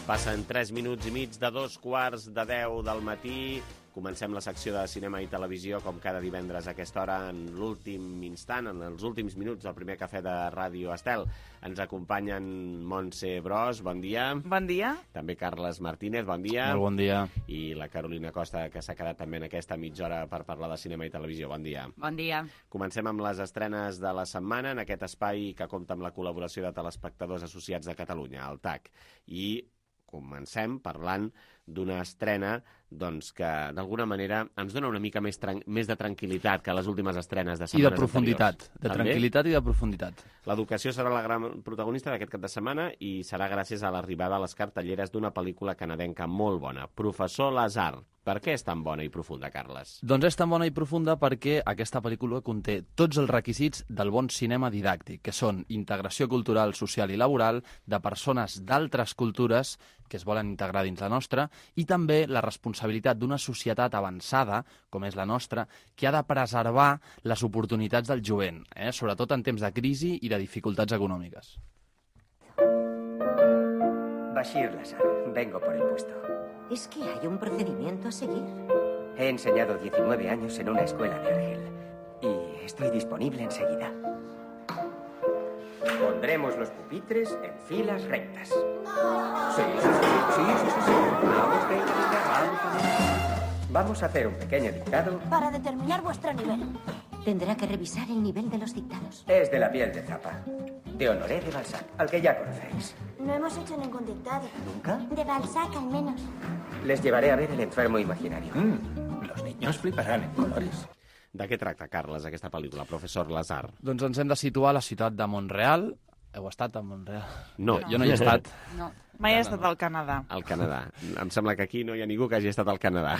Passen tres minuts i mig de dos quarts de deu del matí. Comencem la secció de cinema i televisió, com cada divendres a aquesta hora, en l'últim instant, en els últims minuts del primer cafè de Ràdio Estel. Ens acompanyen Montse Bros, bon dia. Bon dia. També Carles Martínez, bon dia. Molt bon dia. I la Carolina Costa, que s'ha quedat també en aquesta mitja hora per parlar de cinema i televisió. Bon dia. Bon dia. Comencem amb les estrenes de la setmana en aquest espai que compta amb la col·laboració de Telespectadors Associats de Catalunya, el T A C. I comencem parlant d'una estrena doncs, que d'alguna manera ens dona una mica més, més de tranquil·litat que les últimes estrenes de setmanes I de profunditat, anteriors. de tranquil·litat i de profunditat. L'educació serà la gran protagonista d'aquest cap de setmana i serà gràcies a l'arribada a les cartelleres d'una pel·lícula canadenca molt bona, Professor Lazar. Per què és tan bona i profunda, Carles? Doncs és tan bona i profunda perquè aquesta pel·lícula conté tots els requisits del bon cinema didàctic, que són integració cultural, social i laboral de persones d'altres cultures que es volen integrar dins la nostra i també la responsabilitat d'una societat avançada, com és la nostra, que ha de preservar les oportunitats del jovent, eh? sobretot en temps de crisi i de dificultats econòmiques. Bashir Lazar, vengo por el puesto. ¿Es que hay un procedimiento a seguir? He enseñado diecinueve años en una escuela de Argel y estoy disponible enseguida. Pondremos los pupitres en filas rectas. Sí, sí, sí, sí, sí, sí. Vamos, venga, venga, vamos, vamos. Vamos a hacer un pequeño dictado. Para determinar vuestro nivel. Tendrá que revisar el nivel de los dictados. Es de la piel de Zapa, de Honoré de Balzac, al que ya conocéis. No hemos hecho ningún dictado. ¿Nunca? De Balzac, al menos. Les llevaré a ver el enfermo imaginario. Mm, los niños fliparán en colores. De què tracta, Carles, aquesta pel·lícula, Professor Lazar? Doncs ens hem de situar a la ciutat de Mont-real. Heu estat a Mont-real? No. Jo, jo no hi he estat. No. Mai he estat al Canadà. Al Canadà. Em sembla que aquí no hi ha ningú que hagi estat al Canadà.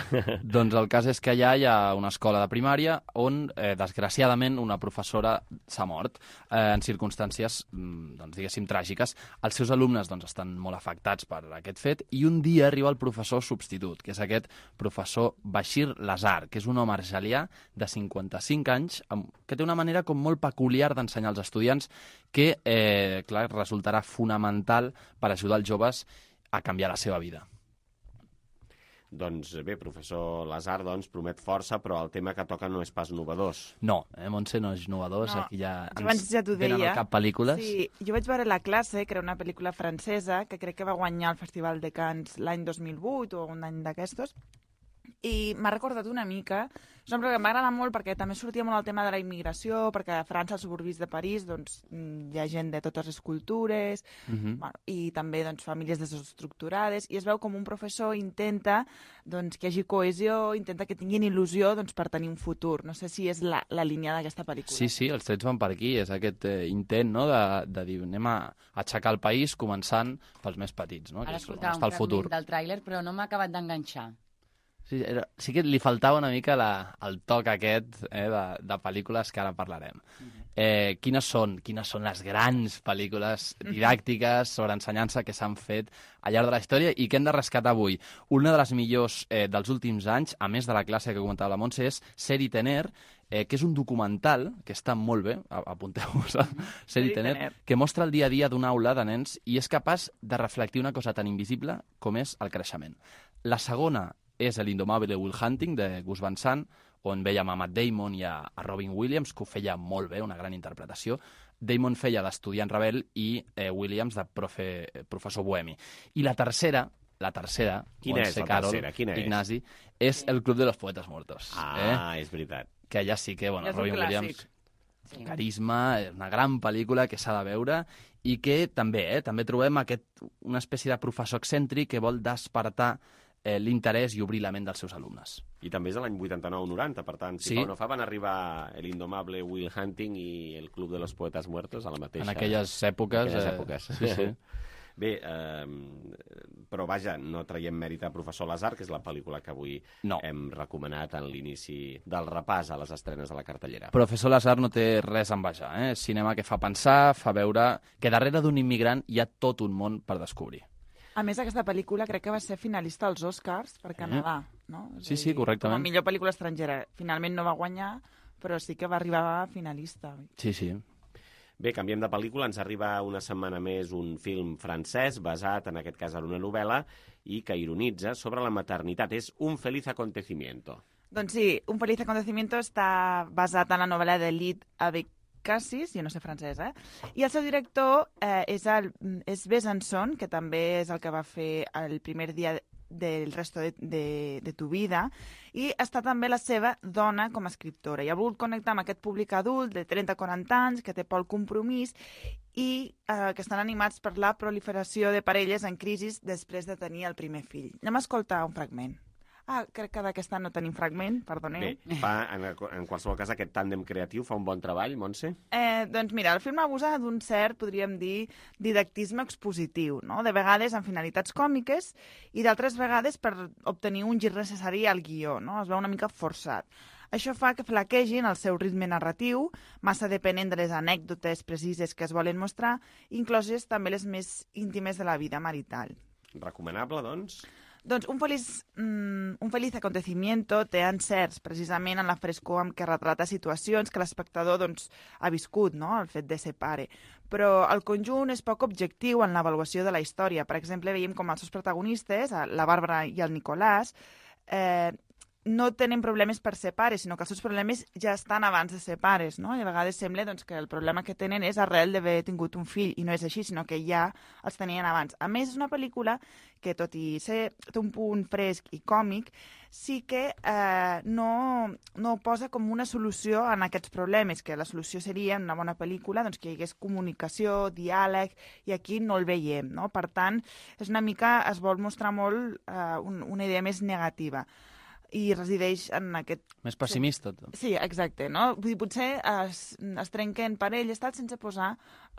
Doncs el cas és que allà hi ha una escola de primària on, eh, desgraciadament, una professora s'ha mort eh, en circumstàncies, doncs, diguéssim, tràgiques. Els seus alumnes doncs, estan molt afectats per aquest fet i un dia arriba el professor substitut, que és aquest professor Bashir Lazar, que és un home argelià de cinquanta-cinc anys que té una manera com molt peculiar d'ensenyar als estudiants que, eh, clar, resultarà fonamental per ajudar els joves a canviar la seva vida. Doncs bé, professor Lazar, doncs, promet força, però el tema que toca no és pas novedós. No, eh, Montse, no és novedós. No, aquí ja abans ja t'ho deia. Venen al cap pel·lícules. Sí, jo vaig veure La classe, que era una pel·lícula francesa, que crec que va guanyar el Festival de Cannes l'any dos mil vuit o un any d'aquestos, i m'ha recordat una mica. És una pel·lícula que m'agrada molt perquè també sortia molt el tema de la immigració, perquè a França, als suburbis de París, doncs, hi ha gent de totes les cultures, Mhm. bueno, i també doncs, famílies desestructurades, i es veu com un professor intenta doncs, que hi hagi cohesió, intenta que tinguin il·lusió doncs, per tenir un futur. No sé si és la, la línia d'aquesta pel·lícula. Sí, sí, els trets van per aquí. És aquest eh, intent, no?, de, de dir, anem a aixecar el país començant pels més petits, no?, que Ara és on escoltava està un el futur. fragment del tràiler, però no m'ha acabat d'enganxar. Sí, era, sí que li faltava una mica la, el toc aquest eh, de, de pel·lícules que ara parlarem. Eh, quines són, quines són les grans pel·lícules didàctiques sobre ensenyança que s'han fet al llarg de la història i que hem de rescatar avui? Una de les millors eh, dels últims anys, a més de La classe que comentava la Montse, és Ser i Tener, eh, que és un documental que està molt bé, apunteu-vos a Ser i Tener, que mostra el dia a dia d'una aula de nens i és capaç de reflectir una cosa tan invisible com és el creixement. La segona és l'Indomable Will Hunting, de Gus Van Sant, on veiem a Matt Damon i a, a Robin Williams, que ho feia molt bé, una gran interpretació. Damon feia d'estudiant rebel i eh, Williams de profe, professor bohemi. I la tercera, la tercera, Quina és la Carol, tercera? Quina és? Ignasi, és El Club de los Poetes Muertos. Ah, eh? és veritat. Que allà sí que, bueno, És un Robin clàssic. Williams, sí. Carisma, una gran pel·lícula que s'ha de veure i que també, eh, també trobem aquest, una espècie de professor excèntric que vol despertar eh, l'interès i obrir la ment dels seus alumnes. I també és de l'any vuitanta-nou noranta, per tant, si Sí. fa o no fa, van arribar El Indomable Will Hunting i El Club de los Poetes Muertos a la mateixa... En aquelles èpoques, En aquelles eh, èpoques. sí, sí. Bé, eh, però vaja, no traiem mèrit a Professor Lazar, que és la pel·lícula que avui no. hem recomanat en l'inici del repàs a les estrenes de la cartellera. Professor Lazar no té res a envejar, eh? És cinema que fa pensar, fa veure que darrere d'un immigrant hi ha tot un món per descobrir. A més, aquesta pel·lícula crec que va ser finalista als Oscars per Canadà, no? És Sí, a sí, dir, correctament. Com a millor pel·lícula estrangera. Finalment no va guanyar, però sí que va arribar a finalista. Sí, sí. Bé, canviem de pel·lícula. Ens arriba una setmana més un film francès basat, en aquest cas, en una novel·la i que ironitza sobre la maternitat. És Un feliz acontecimiento. Doncs sí, Un feliz acontecimiento està basat en la novel·la de Lyd Abécassis, jo no sé francès, eh? I el seu director eh, és, el, és Besançon, que també és el que va fer el primer dia del resto de, de, de tu vida, i està també la seva dona com a escriptora. I ha volgut connectar amb aquest públic adult de trenta a quaranta anys, que té por al compromís, i eh, que estan animats per la proliferació de parelles en crisi després de tenir el primer fill. Anem a escoltar un fragment. Ah, crec que d'aquesta no tenim fragment, perdoneu. Bé, fa, en, en qualsevol cas, aquest tàndem creatiu fa un bon treball, Montse? Eh, doncs mira, el film abusa d'un cert, podríem dir, didactisme expositiu, no? De vegades amb finalitats còmiques i d'altres vegades per obtenir un gir necessari al guió, no? Es veu una mica forçat. Això fa que flaquegin el seu ritme narratiu, massa depenent de les anècdotes precises que es volen mostrar, incloses també les més íntimes de la vida marital. Recomanable, doncs? Doncs un feliç, mm, un feliç acontecimiento té encerts precisament en la frescor amb què retrata situacions que l'espectador doncs, ha viscut, no? El fet de ser pare. Però el conjunt és poc objectiu en l'avaluació de la història. Per exemple, veiem com els seus protagonistes, la Bàrbara i el Nicolàs, eh, no tenen problemes per ser pares, sinó que els seus problemes ja estan abans de ser pares, no? I a vegades sembla doncs, que el problema que tenen és arrel d'haver tingut un fill, i no és així, sinó que ja els tenien abans. A més, és una pel·lícula que, tot i ser té un punt fresc i còmic, sí que eh, no, no posa com una solució en aquests problemes, que la solució seria, en una bona pel·lícula, doncs, que hi hagués comunicació, diàleg, i aquí no el veiem, no? Per tant, és una mica, es vol mostrar molt eh, un, una idea més negativa. I resideix en aquest... Més pessimista. Sí, exacte, no? Vull dir, potser es, es trenquen parelles tal, sense posar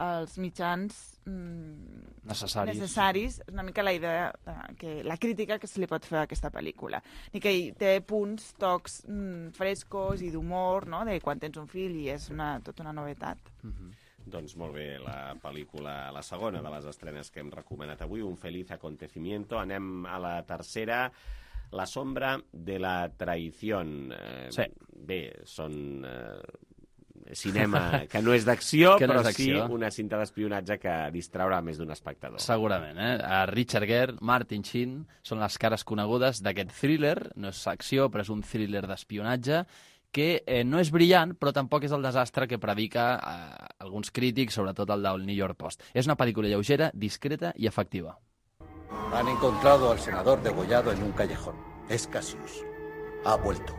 els mitjans mm, necessaris. necessaris. És una mica la idea, que la crítica que se li pot fer a aquesta pel·lícula. I que hi té punts, tocs mm, frescos i d'humor, no?, de quan tens un fill, i és una, tota una novetat. Mm-hmm. Doncs molt bé, la pel·lícula, la segona de les estrenes que hem recomanat avui, Un feliz acontecimiento. Anem a la tercera... La sombra de la traición. Eh, sí. Bé, són eh, cinema que no és d'acció, no però sí una cinta d'espionatge que distraurà més d'un espectador. Segurament, eh? A Richard Gere, Martin Sheen, són les cares conegudes d'aquest thriller. No és acció, però és un thriller d'espionatge que eh, no és brillant, però tampoc és el desastre que predica eh, alguns crítics, sobretot el del New York Post. És una pel·lícula lleugera, discreta i efectiva. Han encontrado al senador degollado en un callejón. Es Cassius. Ha vuelto.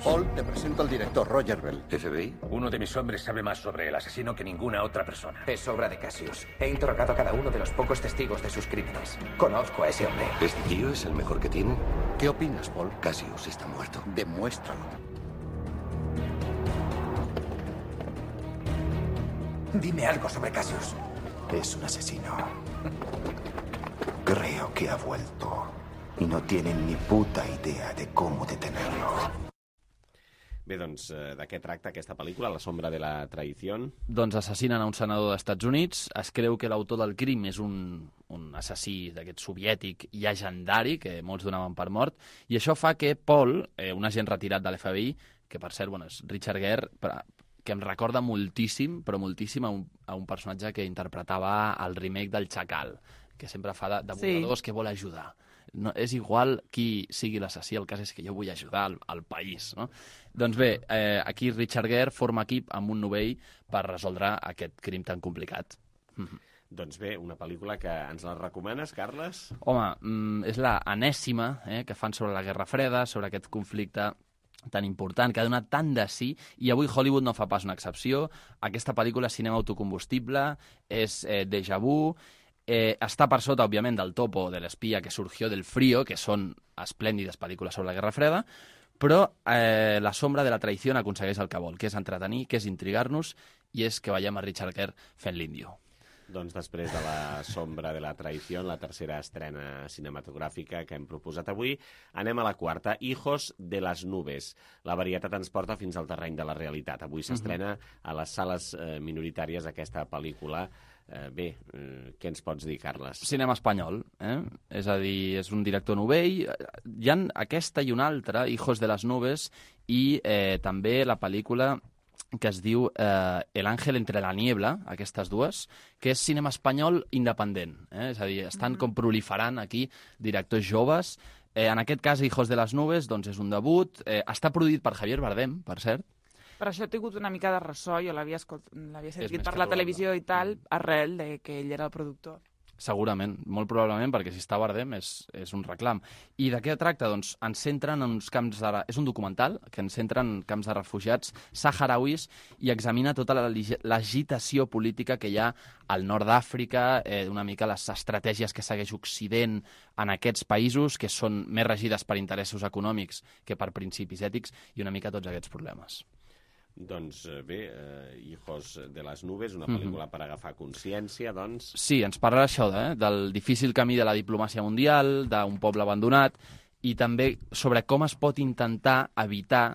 Paul, te presento al director Roger Bell. ¿F B I? Uno de mis hombres sabe más sobre el asesino que ninguna otra persona. Es obra de Cassius. He interrogado a cada uno de los pocos testigos de sus crímenes. Conozco a ese hombre. ¿Este tío es el mejor que tiene? ¿Qué opinas, Paul? Cassius está muerto. Demuéstralo. Dime algo sobre Cassius. Es un asesino. Creo que ha vuelto y no tienen ni puta idea de cómo detenerlo. Bé, doncs, de què tracta aquesta pel·lícula, La sombra de la traición? Doncs assassinen a un senador dels Estats Units. Es creu que l'autor del crim és un, un assassí d'aquest soviètic llegendari, que molts donaven per mort, i això fa que Paul, eh, un agent retirat de l'F B I, que per cert, bueno, és Richard Gere, que em recorda moltíssim, però moltíssim, a un, a un personatge que interpretava el remake del Chacal, que sempre fa de, de voladors sí. que vol ajudar. No, és igual qui sigui l'assassí, el cas és que jo vull ajudar al, al país, no? Doncs bé, eh, aquí Richard Gere forma equip amb un novell per resoldre aquest crim tan complicat. Mm-hmm. Doncs bé, una pel·lícula que ens la recomanes, Carles? Home, mm, és la enèsima eh, que fan sobre la Guerra Freda, sobre aquest conflicte tan important, que ha donat tant de sí, i avui Hollywood no fa pas una excepció. Aquesta pel·lícula és cinema autocombustible, és eh, déjà vu. Eh, està per sota, òbviament, del Topo, de l'Espia, que surgió del Frío, que són esplèndides pel·lícules sobre la Guerra Freda, però eh, La sombra de la traició aconsegueix el que vol, que és entretenir, que és intrigar-nos, i és que veiem a Richard Gere fent l'índio. Doncs després de La sombra de la traició, la tercera estrena cinematogràfica que hem proposat avui, anem a la quarta, Hijos de las nubes. La varietat ens porta fins al terreny de la realitat. Avui s'estrena a les sales eh, minoritàries aquesta pel·lícula. Eh, bé, eh, què ens pots dir, Carles? Cinema espanyol, eh? És a dir, és un director novell. Hi ha aquesta i una altra, Hijos de las nubes, i eh, també la pel·lícula que es diu eh, El ángel entre la niebla, aquestes dues, que és cinema espanyol independent. Eh? És a dir, estan mm-hmm. com proliferant aquí directors joves. Eh, en aquest cas, Hijos de las nubes, doncs és un debut. Eh, està produït per Javier Bardem, per cert. Per això he tingut una mica de ressò, jo l'havia sentit per la televisió i tal, arrel de que ell era el productor. Segurament, molt probablement, perquè si està a Bardem és, és un reclam. I de què tracta? Doncs ens centren en uns camps de... És un documental que ens centra en camps de refugiats saharauis i examina tota la l'agitació política que hi ha al nord d'Àfrica, eh, una mica les estratègies que segueix Occident en aquests països, que són més regides per interessos econòmics que per principis ètics, i una mica tots aquests problemes. Doncs bé, eh, Hijos de las Nubes, una pel·lícula mm-hmm. per agafar consciència, doncs... Sí, ens parla això, eh, del difícil camí de la diplomàcia mundial, d'un poble abandonat, i també sobre com es pot intentar evitar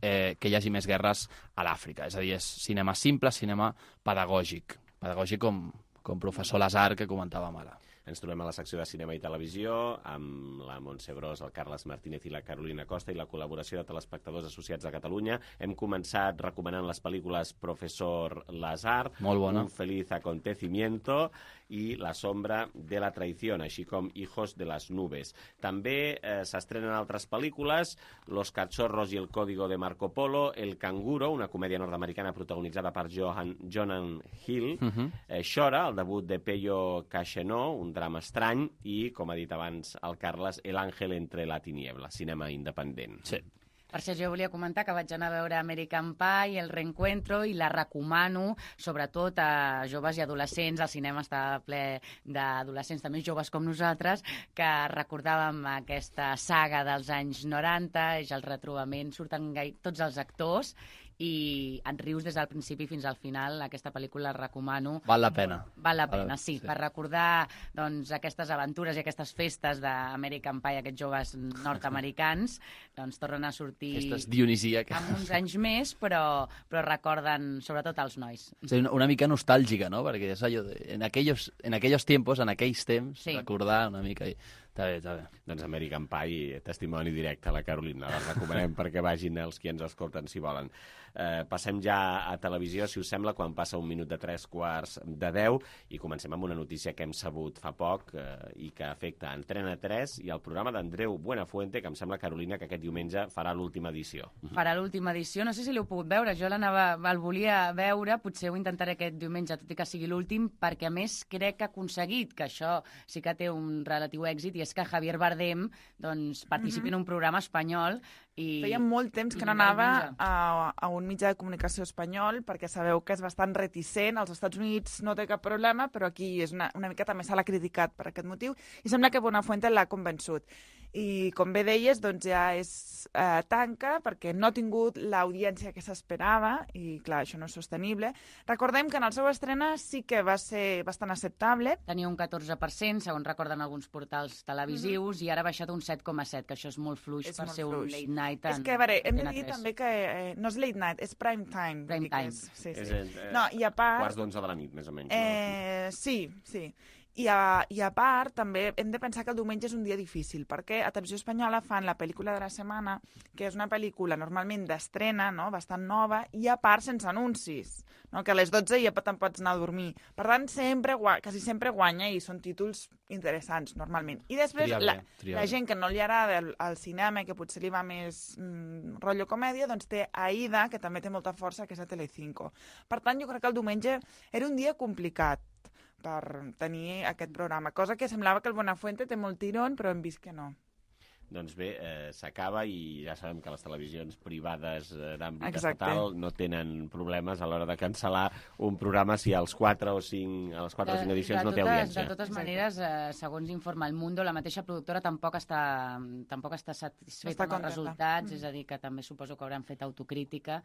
eh, que hi hagi més guerres a l'Àfrica. És a dir, és cinema simple, cinema pedagògic. Pedagògic com, com professor Lazar, que comentàvem ara. Ens trobem a la secció de cinema i televisió amb la Montse Bros, el Carles Martínez i la Carolina Costa i la col·laboració de telespectadors associats de Catalunya. Hem començat recomanant les pel·lícules Professor Lazar, molt bona. Un feliz acontecimiento i La sombra de la traición, així com Hijos de las Nubes. També eh, s'estrenen altres pel·lícules, Los cachorros y el código de Marco Polo, El canguro, una comèdia nord-americana protagonitzada per Johan, Jonan Hill, uh-huh. eh, Xora, el debut de Peyo Cachenó, un drama estrany, i, com ha dit abans el Carles, El ángel entre la tiniebla, cinema independent. Sí. Per això jo volia comentar que vaig anar a veure American Pie, El reencuentro, i la recomano, sobretot a joves i adolescents. El cinema està ple d'adolescents també joves com nosaltres, que recordàvem aquesta saga dels anys noranta, és el retrobament, surten gai... tots els actors, i et rius des del principi fins al final. Aquesta pel·lícula la recomano. Val la pena. Val la pena, sí, sí. Per recordar doncs, aquestes aventures i aquestes festes d'American Pie, aquests joves nord-americans, doncs tornen a sortir aquestes dionisíaques amb uns anys més, però, però recorden sobretot els nois. Sí, una, una mica nostàlgica, no? Perquè és allò de, en, aquellos, en aquellos tiempos, en aquells temps, sí. Recordar una mica... I... Està bé, està bé. Doncs American Pie, testimoni directe a la Carolina. La recomanem perquè vagin els qui ens escolten si volen. Eh, passem ja a televisió, si us sembla, quan passa un minut de tres quarts de deu, i comencem amb una notícia que hem sabut fa poc eh, i que afecta Antena tres i el programa d'Andreu Buenafuente, que em sembla, Carolina, que aquest diumenge farà l'última edició. Farà l'última edició, no sé si l'heu pogut veure, jo l'anava, el volia veure, potser ho intentaré aquest diumenge, tot i que sigui l'últim, perquè a més crec que ha aconseguit, que això sí que té un relatiu èxit, i és que Javier Bardem doncs, participi mm-hmm. en un programa espanyol. I... Feia molt temps que no anava a, a un mitjà de comunicació espanyol, perquè sabeu que és bastant reticent. Als Estats Units no té cap problema, però aquí és una, una mica també se l'ha criticat per aquest motiu, i sembla que Buenafuente l'ha convençut. I, com bé deies, doncs ja és eh, tanca, perquè no ha tingut l'audiència que s'esperava, i, clar, això no és sostenible. Recordem que en el seu estrena sí que va ser bastant acceptable. Tenia un catorze per cent, segons recorden alguns portals televisius, mm-hmm. i ara ha baixat un set coma set, que això és molt fluix és per molt ser fluix. Un late night. En, és que, a veure, hem de dir també que eh, no és late night, és prime time. Prime time. És, sí, sí. És el, eh, no, i a part... quarts d'onze de la nit, més o menys. Eh, no? Sí, sí. I a, I a part, també hem de pensar que el diumenge és un dia difícil, perquè a Televisió Espanyola fan la pel·lícula de la setmana, que és una pel·lícula normalment d'estrena, no?, bastant nova, i a part sense anuncis, no?, que a les dotze ja te'n pots anar a dormir. Per tant, sempre, quasi sempre guanya, i són títols interessants, normalment. I després, triable, la, triable. la gent que no li agrada el, el cinema, que potser li va més mm, rotllo comèdia, doncs té Aida, que també té molta força, que és a Telecinco. Per tant, jo crec que el diumenge era un dia complicat per tenir aquest programa, cosa que semblava que el Buenafuente té molt tirón, però hem vist que no. Doncs bé, eh, s'acaba i ja sabem que les televisions privades eh, d'àmbit Exacte. estatal no tenen problemes a l'hora de cancel·lar un programa si als quatre o cinc, a les quatre o cinc edicions de no té totes, audiència. De totes maneres, eh, segons informa El Mundo, la mateixa productora tampoc està, tampoc està satisfeta amb els resultats, mm. és a dir, que també suposo que hauran fet autocrítica,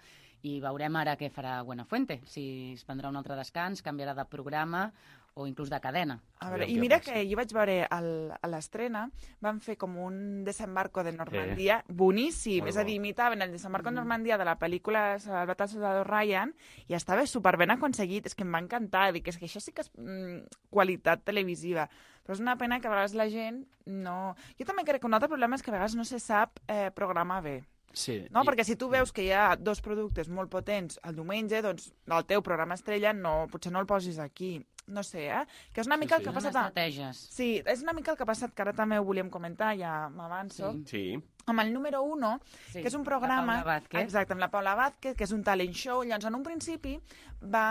i veurem ara què farà Buenafuente, si es prendrà un altre descans, canviarà de programa o inclús de cadena. A veure, i mira que jo vaig veure el, a l'estrena, van fer com un desembarco de Normandia eh. boníssim, molt és a dir, imitaven el desembarco mm. de Normandia de la pel·lícula Salvat al soldado Ryan, i estava superben aconseguit, és que em va encantar, dic, és que això sí que és mm, qualitat televisiva, però és una pena que a vegades la gent no... Jo també crec que un altre problema és que a vegades no se sap eh, programar bé. Sí, no? i... Perquè si tu veus que hi ha dos productes molt potents el diumenge, doncs el teu programa estrella no, potser no el posis aquí. No sé, eh? Que és una mica sí, sí. el que ha passat... Estratègies. Sí, és una mica el que ha passat, que ara també ho volíem comentar, ja m'avanço. Sí. sí. Amb el número uno, sí, que és un programa... La Paula Vázquez. Exacte, amb la Paula Vázquez, que és un talent show. Llavors, en un principi, va...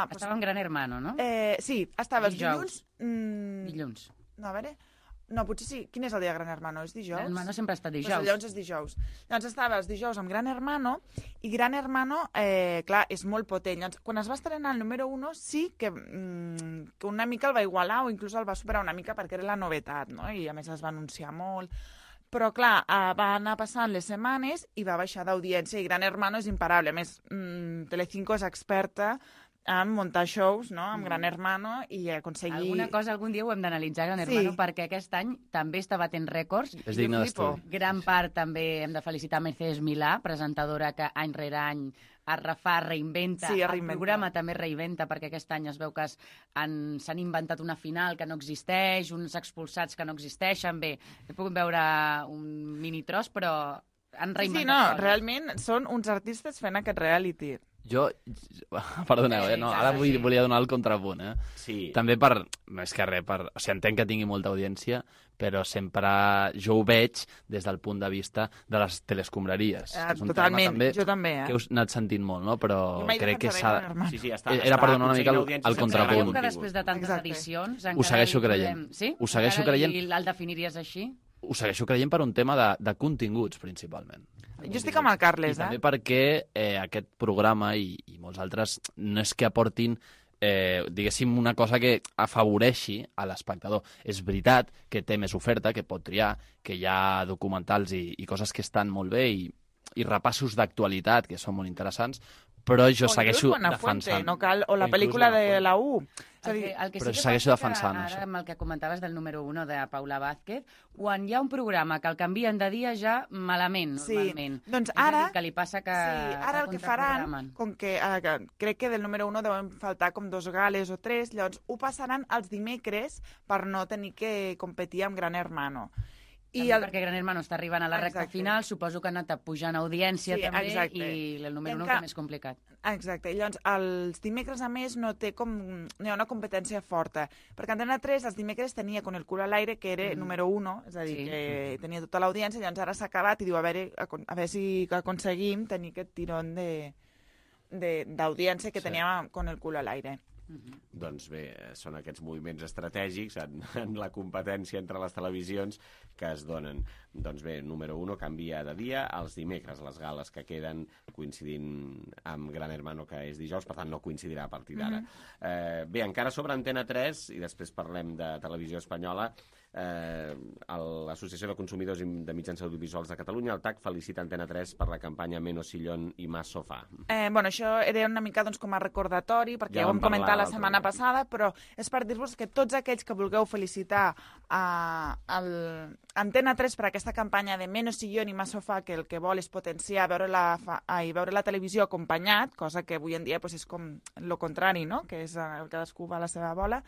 Estava en Gran Hermano, no? Eh, sí, estava els dilluns mmm, Dilluns. No, a veure... No, potser sí. Quin és el dia de Gran Hermano? És dijous? Gran Hermano sempre està dijous. Pues llavors és dijous. Llavors estava els dijous amb Gran Hermano, i Gran Hermano, eh, clar, és molt potent. Llavors, quan es va estrenar el número uno, sí que, mm, que una mica el va igualar, o inclús el va superar una mica perquè era la novetat, no? I a més es va anunciar molt. Però, clar, eh, va anar passant les setmanes i va baixar d'audiència, i Gran Hermano és imparable. A més, mm, Telecinco és experta en muntar shows, no?, amb Gran Hermano, i aconseguir... Alguna cosa algun dia ho hem d'analitzar, Gran Hermano, sí. perquè aquest any també està batent rècords. És digne d'estudi. Gran part també hem de felicitar Mercedes Milà, presentadora que any rere any es refà, reinventa. Sí, el programa també reinventa, perquè aquest any es veu que s'han inventat una final que no existeix, uns expulsats que no existeixen. Bé, he pogut veure un mini tros, però han reinventat. Sí, no, coses. Realment són uns artistes fent aquest reality. Jo, perdoneu, eh? no, ara vull, volia donar el contrapunt, eh? Sí. També per, més que res, per, o sigui, entenc que tingui molta audiència, però sempre jo ho veig des del punt de vista de les telescombraries. Eh, totalment, també, jo també, eh? Que heu anat sentint molt, no? Però crec que s'ha... Sí, sí, està, Era per donar una mica el, el contrapunt. Que després de tantes Exacte. edicions... Ho segueixo creient. Sí? Ho segueixo creient. I el definiries així? Ho segueixo creient per un tema de, de continguts, principalment. Jo estic amb el Carles, I eh? també perquè eh, aquest programa i, i molts altres no és que aportin, eh, diguéssim, una cosa que afavoreixi a l'espectador. És veritat que té més oferta, que pot triar, que hi ha documentals i, i coses que estan molt bé i, i repassos d'actualitat que són molt interessants, però jo o segueixo defensant. No cal, o la pel·lícula de la U. El que, el que però sí que segueixo passa defensant que, això. ara amb el que comentaves del número uno de Paula Vázquez, quan hi ha un programa que el canvien de dia ja malament, sí. normalment. Doncs és ara, que li passa que, sí, ara que el que faran, com que, eh, crec que del número uno deuen faltar com dos gales o tres, llavors ho passaran els dimecres per no tenir que competir amb Gran Hermano. I el... perquè Gran Hermano està arribant a la recta exacte. final, suposo que ha anat pujant audiència sí, també, exacte. i el número uno que... és més complicat. Exacte, i llavors els dimecres a més no té com... no hi ha una competència forta, perquè Antena tres els dimecres tenia Con el culo al aire, que era mm. número uno, és a dir, sí. que tenia tota l'audiència, llavors ara s'ha acabat i diu a veure, a veure si aconseguim tenir aquest tirón d'audiència que sí. teníem Con el culo al aire. Uh-huh. Doncs bé, són aquests moviments estratègics en, en la competència entre les televisions que es donen. Doncs bé, número uno canvia de dia als dimecres, les gales que queden coincidint amb Gran Hermano, que és dijous, per tant no coincidirà a partir d'ara. Uh-huh. eh, bé, encara sobre Antena tres, i després parlem de televisió espanyola, eh, l'Associació de Consumidors de Mitjans Audiovisuals de Catalunya, el T A C, felicita Antena tres per la campanya Menos sillón i más sofà. Eh, bueno, això era una mica doncs, com a recordatori, perquè ja, ja ho vam comentar la setmana passada, però és per dir-vos que tots aquells que vulgueu felicitar a, a Antena tres per aquesta campanya de Menos sillón i más sofà, que el que vol és potenciar veure la, ai, veure la televisió acompanyat, cosa que avui en dia pues, és com el contrari, no? Que és el cadascú va a la seva bola,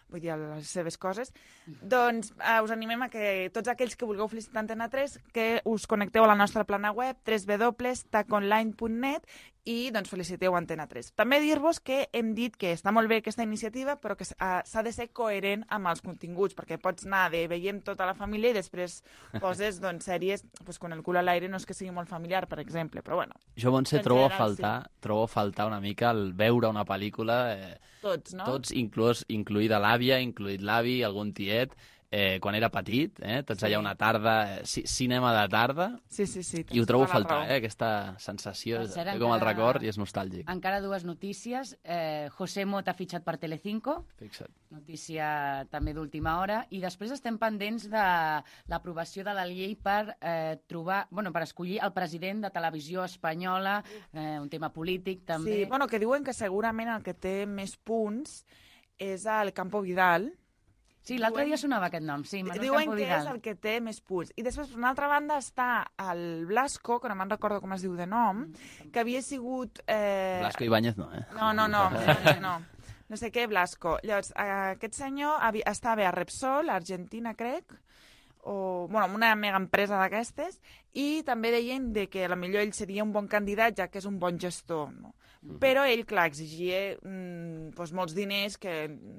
vull dir, les seves coses, doncs eh, us animem a que tots aquells que vulgueu felicitar Antena tres, que us connecteu a la nostra plana web, w w w punt taconline punt net, i doncs feliciteu Antena tres. També dir-vos que hem dit que està molt bé aquesta iniciativa, però que uh, s'ha de ser coherent amb els continguts, perquè pots anar de veiem tota la família i després poses doncs, sèries, pues, Con el culo al aire no és que sigui molt familiar, per exemple, però bueno. Jo, Montse, trobo a faltar, sí. trobo a faltar una mica el veure una pel·lícula, eh, tots, no? Tots, inclús, incluïda l'àvia, incluït l'avi, algun tiet, eh, quan era petit, eh, tots sí. allà una tarda, eh, cinema de tarda, sí, sí, sí, i ho trobo a faltar, eh, aquesta sensació, és com el record i és nostàlgic. Encara dues notícies. Eh, José Mot ha fitxat per Telecinco, Fixa't. Notícia també d'última hora, i després estem pendents de l'aprovació de la llei per eh, trobar, bueno, per escollir el president de Televisió Espanyola, eh, un tema polític també. Sí, bueno, que diuen que segurament el que té més punts és el Campo Vidal. Sí, l'altre dia sonava aquest nom, sí, Manuel diuen Campo que Vidal. és el que té més punts. I després, per una altra banda, està el Blasco, que no me'n recordo com es diu de nom, que havia sigut... Eh... Blasco Ibáñez no, eh? No, no, no, no. No sé què, Blasco. Llavors, aquest senyor havia, estava a Repsol, a Argentina, crec, o, bueno, una mega empresa d'aquestes, i també deien de que a lo millor ell seria un bon candidat, ja que és un bon gestor, no? Però ell, clar, exigia mm, doncs molts diners que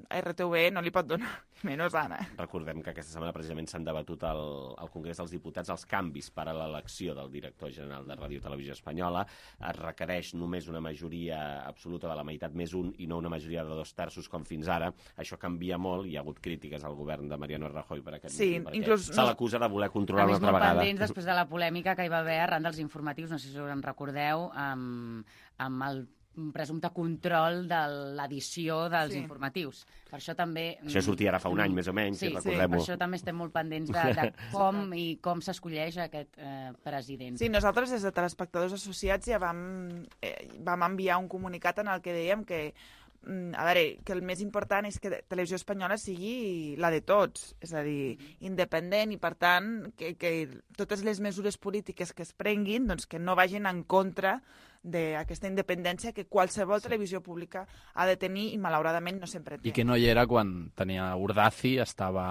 R T V no li pot donar, menys ara. Recordem que aquesta setmana precisament s'han debatut al, al Congrés dels Diputats els canvis per a l'elecció del director general de Ràdio Televisió Espanyola. Es requereix només una majoria absoluta de la meitat més un i no una majoria de dos terços com fins ara. Això canvia molt, hi ha hagut crítiques al govern de Mariano Rajoy per aquest sí, motiu, perquè inclús, se l'acusa de voler controlar una altra vegada. A més, molt pendents després de la polèmica que hi va haver arran dels informatius, no sé si us en recordeu, amb, amb el presumpte control de l'edició dels sí. informatius. Per això també... Això sortia ara fa un any, més o menys, sí, si recordem-ho. Sí, per això també estem molt pendents de, de com i com s'escolleix aquest eh, president. Sí, nosaltres des de Telespectadors Associats ja vam, eh, vam enviar un comunicat en el que dèiem que a veure, que el més important és que Televisió Espanyola sigui la de tots, és a dir, independent i, per tant, que, que totes les mesures polítiques que es prenguin doncs, que no vagin en contra d'aquesta independència que qualsevol sí. televisió pública ha de tenir i, malauradament, no sempre té. I que no hi era quan tenia Urdaci, estava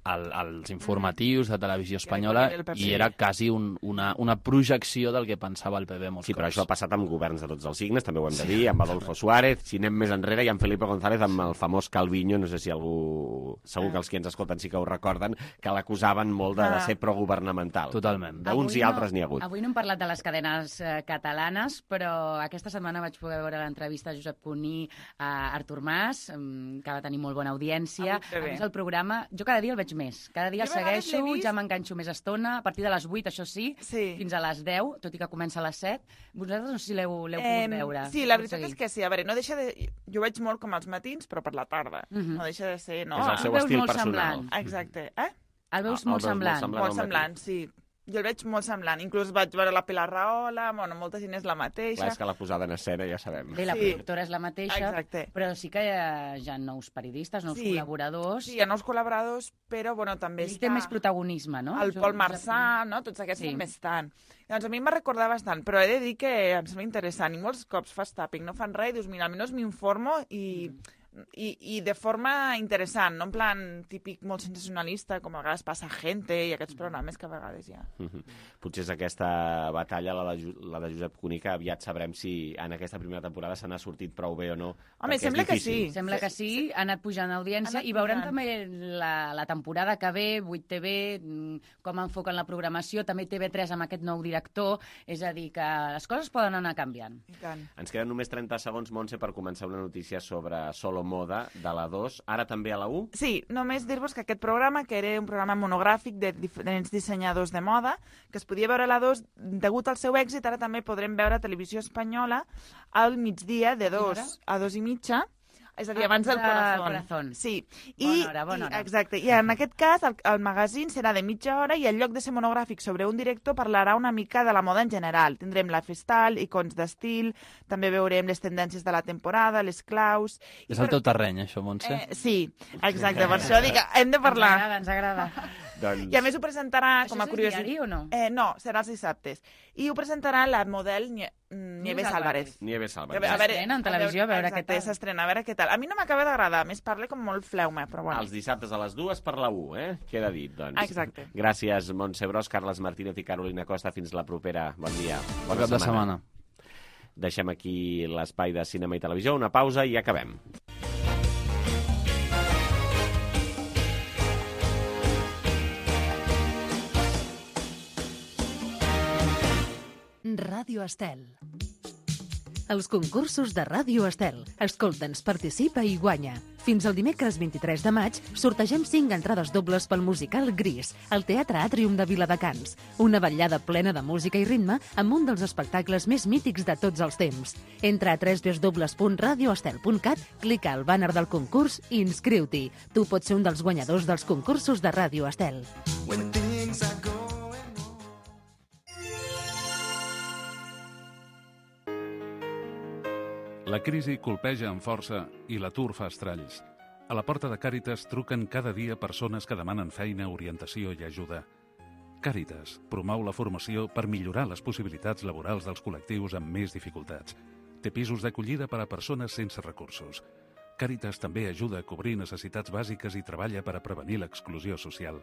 al, als informatius de Televisió Espanyola i era quasi un, una, una projecció del que pensava el P B molts Sí, cops. però això ha passat amb governs de tots els signes, també ho hem de dir, amb Adolfo Suárez, si anem més enrere, i amb Felipe González, amb el famós Calviño, no sé si algú... Segur que els que ens escolten sí que ho recorden, que l'acusaven molt de, de ser progovernamental. Totalment. D'uns i altres n'hi ha hagut. Avui no hem parlat de les cadenes eh, catalanes, però aquesta setmana vaig poder veure l'entrevista a Josep Cuní a Artur Mas, que va tenir molt bona audiència. A més, el programa, jo cada dia el veig més. Cada dia el segueixo, ja m'enganxo més estona, a partir de les vuit, això sí, sí, fins a les deu, tot i que comença a les set. Vosaltres no sé si l'heu eh, pogut veure. Sí, la veritat és que sí. A veure, no deixa de... Jo veig molt com als matins, però per la tarda. Uh -huh. No deixa de ser... No? És el seu estil personal. Semblant. Exacte. Eh? El veus molt semblant. Molt semblant, sí. Jo el veig molt semblant. Inclús vaig veure la Pilar Rahola, bueno, molta gent és la mateixa. Clar, és que la posada en escena ja sabem. Bé, la sí. productora és la mateixa, Exacte. Però sí que hi ha, hi ha nous periodistes, nous sí. col·laboradors. Sí, hi ha nous col·laboradors, però bueno, també Ell està... té més protagonisme, no? El Pol Marçà, no? Tots aquests sí. més tant. Doncs a mi m'ha recordat bastant, però he de dir que em sembla interessant. I molts cops fas tapping, no fan res, i dius, mira, almenys m'informo i... Mm. I, i de forma interessant, no en plan típic molt sensacionalista, com a vegades passa Gente i aquests programes que a vegades hi ha. Mm-hmm. Potser és aquesta batalla, la de, la de Josep Cuní, que aviat sabrem si en aquesta primera temporada se n'ha sortit prou bé o no. Home, sembla que sí. Sembla que sí, ha anat pujant audiència i veurem també la, la temporada que ve, vuit T V, com enfoquen la programació, també T V tres amb aquest nou director, és a dir, que les coses poden anar canviant. I tant. Ens queden només trenta segons, Montse, per començar una notícia sobre Solo Moda, de la dos, ara també a la u? Sí, només dir-vos que aquest programa, que era un programa monogràfic de diferents dissenyadors de moda, que es podia veure a la dos, degut al seu èxit, ara també podrem veure a Televisió Espanyola al migdia de dos a dos i mitja, és a dir, abans del corazón. corazón. Sí. Bona I, hora, bona hora. I, exacte. I en aquest cas, el, el magazín serà de mitja hora i en lloc de ser monogràfic sobre un director parlarà una mica de la moda en general. Tindrem la festal, icons d'estil, també veurem les tendències de la temporada, les claus... És el teu terreny, això, Montse? Eh, sí, exacte. Per això dic, hem de parlar. Ens agrada, ens agrada. Doncs... I a més ho presentarà Això com a és curiositat. diari o no? Eh, no, serà els dissabtes. I ho presentarà la model Nie Nieves Álvarez. Nieves Álvarez. S'estrena en televisió, a veure què tal. S'estrena, a veure què tal. A mi no m'acaba d'agradar, a més parla com molt fleume, però bueno. Els dissabtes a les dues per la u, eh? Queda dit, doncs. Exacte. Gràcies, Montse Bros, Carles Martínez i Carolina Costa. Fins la propera. Bon dia. Bona cap de setmana. Deixem aquí l'espai de cinema i televisió, una pausa i acabem. Ràdio Estel. Els concursos de Ràdio Estel. Escolta'ns, participa i guanya. Fins al dimecres vint-i-tres de maig sortegem cinc entrades dobles pel musical Gris, al Teatre Àtrium de Viladecans. Una vetllada plena de música i ritme amb un dels espectacles més mítics de tots els temps. Entra a w w w punt radio estel punt cat, clica al bàner del concurs i inscriu-t'hi. Tu pots ser un dels guanyadors dels concursos de Ràdio Estel. La crisi colpeja amb força i l'atur fa estralls. A la porta de Càritas truquen cada dia persones que demanen feina, orientació i ajuda. Càritas promou la formació per millorar les possibilitats laborals dels col·lectius amb més dificultats. Té pisos d'acollida per a persones sense recursos. Càritas també ajuda a cobrir necessitats bàsiques i treballa per a prevenir l'exclusió social.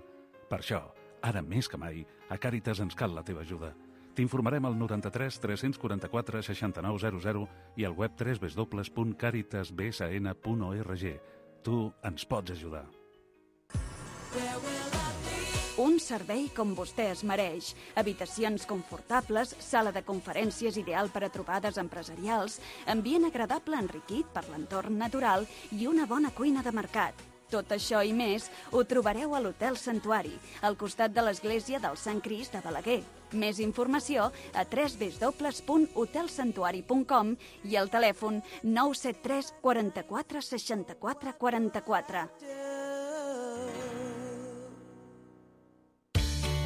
Per això, ara més que mai, a Càritas ens cal la teva ajuda. T'informarem al noranta-tres tres quaranta-quatre seixanta-nou zero zero i al web w w w punt caritas b s n punt org. Tu ens pots ajudar. Un servei com vostè es mereix. Habitacions confortables, sala de conferències ideal per a trobades empresarials, ambient agradable enriquit per l'entorn natural i una bona cuina de mercat. Tot això i més ho trobareu a l'Hotel Santuari, al costat de l'església del Sant Crist de Balaguer. Més informació a w w w punt hotel santuari punt com i al telèfon nou set tres quaranta-quatre seixanta-quatre quaranta-quatre.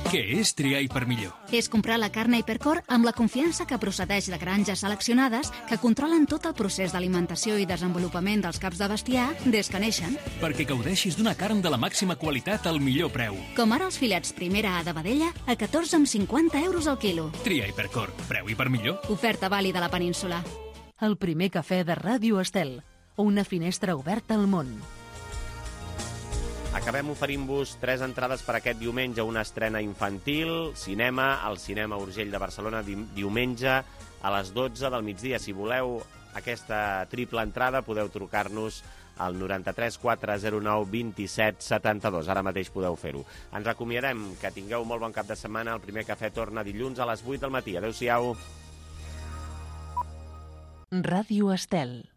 Què és triar i per millor? És comprar la carn Hipercor amb la confiança que procedeix de granges seleccionades que controlen tot el procés d'alimentació i desenvolupament dels caps de bestiar des que neixen. Perquè gaudeixis d'una carn de la màxima qualitat al millor preu. Com ara els filets primera A de vedella a catorze coma cinquanta euros al quilo. Tria Hipercor. Preu i per millor. Oferta vàlida a la península. El primer cafè de Ràdio Estel. Una finestra oberta al món. Acabem oferint-vos tres entrades per aquest diumenge, una estrena infantil, cinema, al Cinema Urgell de Barcelona, di diumenge a les dotze del migdia. Si voleu aquesta triple entrada, podeu trucar-nos al noranta-tres quatre zero nou vint-i-set setanta-dos. Ara mateix podeu fer-ho. Ens acomiadem, que tingueu molt bon cap de setmana. El primer cafè torna dilluns a les vuit del matí. Adéu-siau. Ràdio Estel.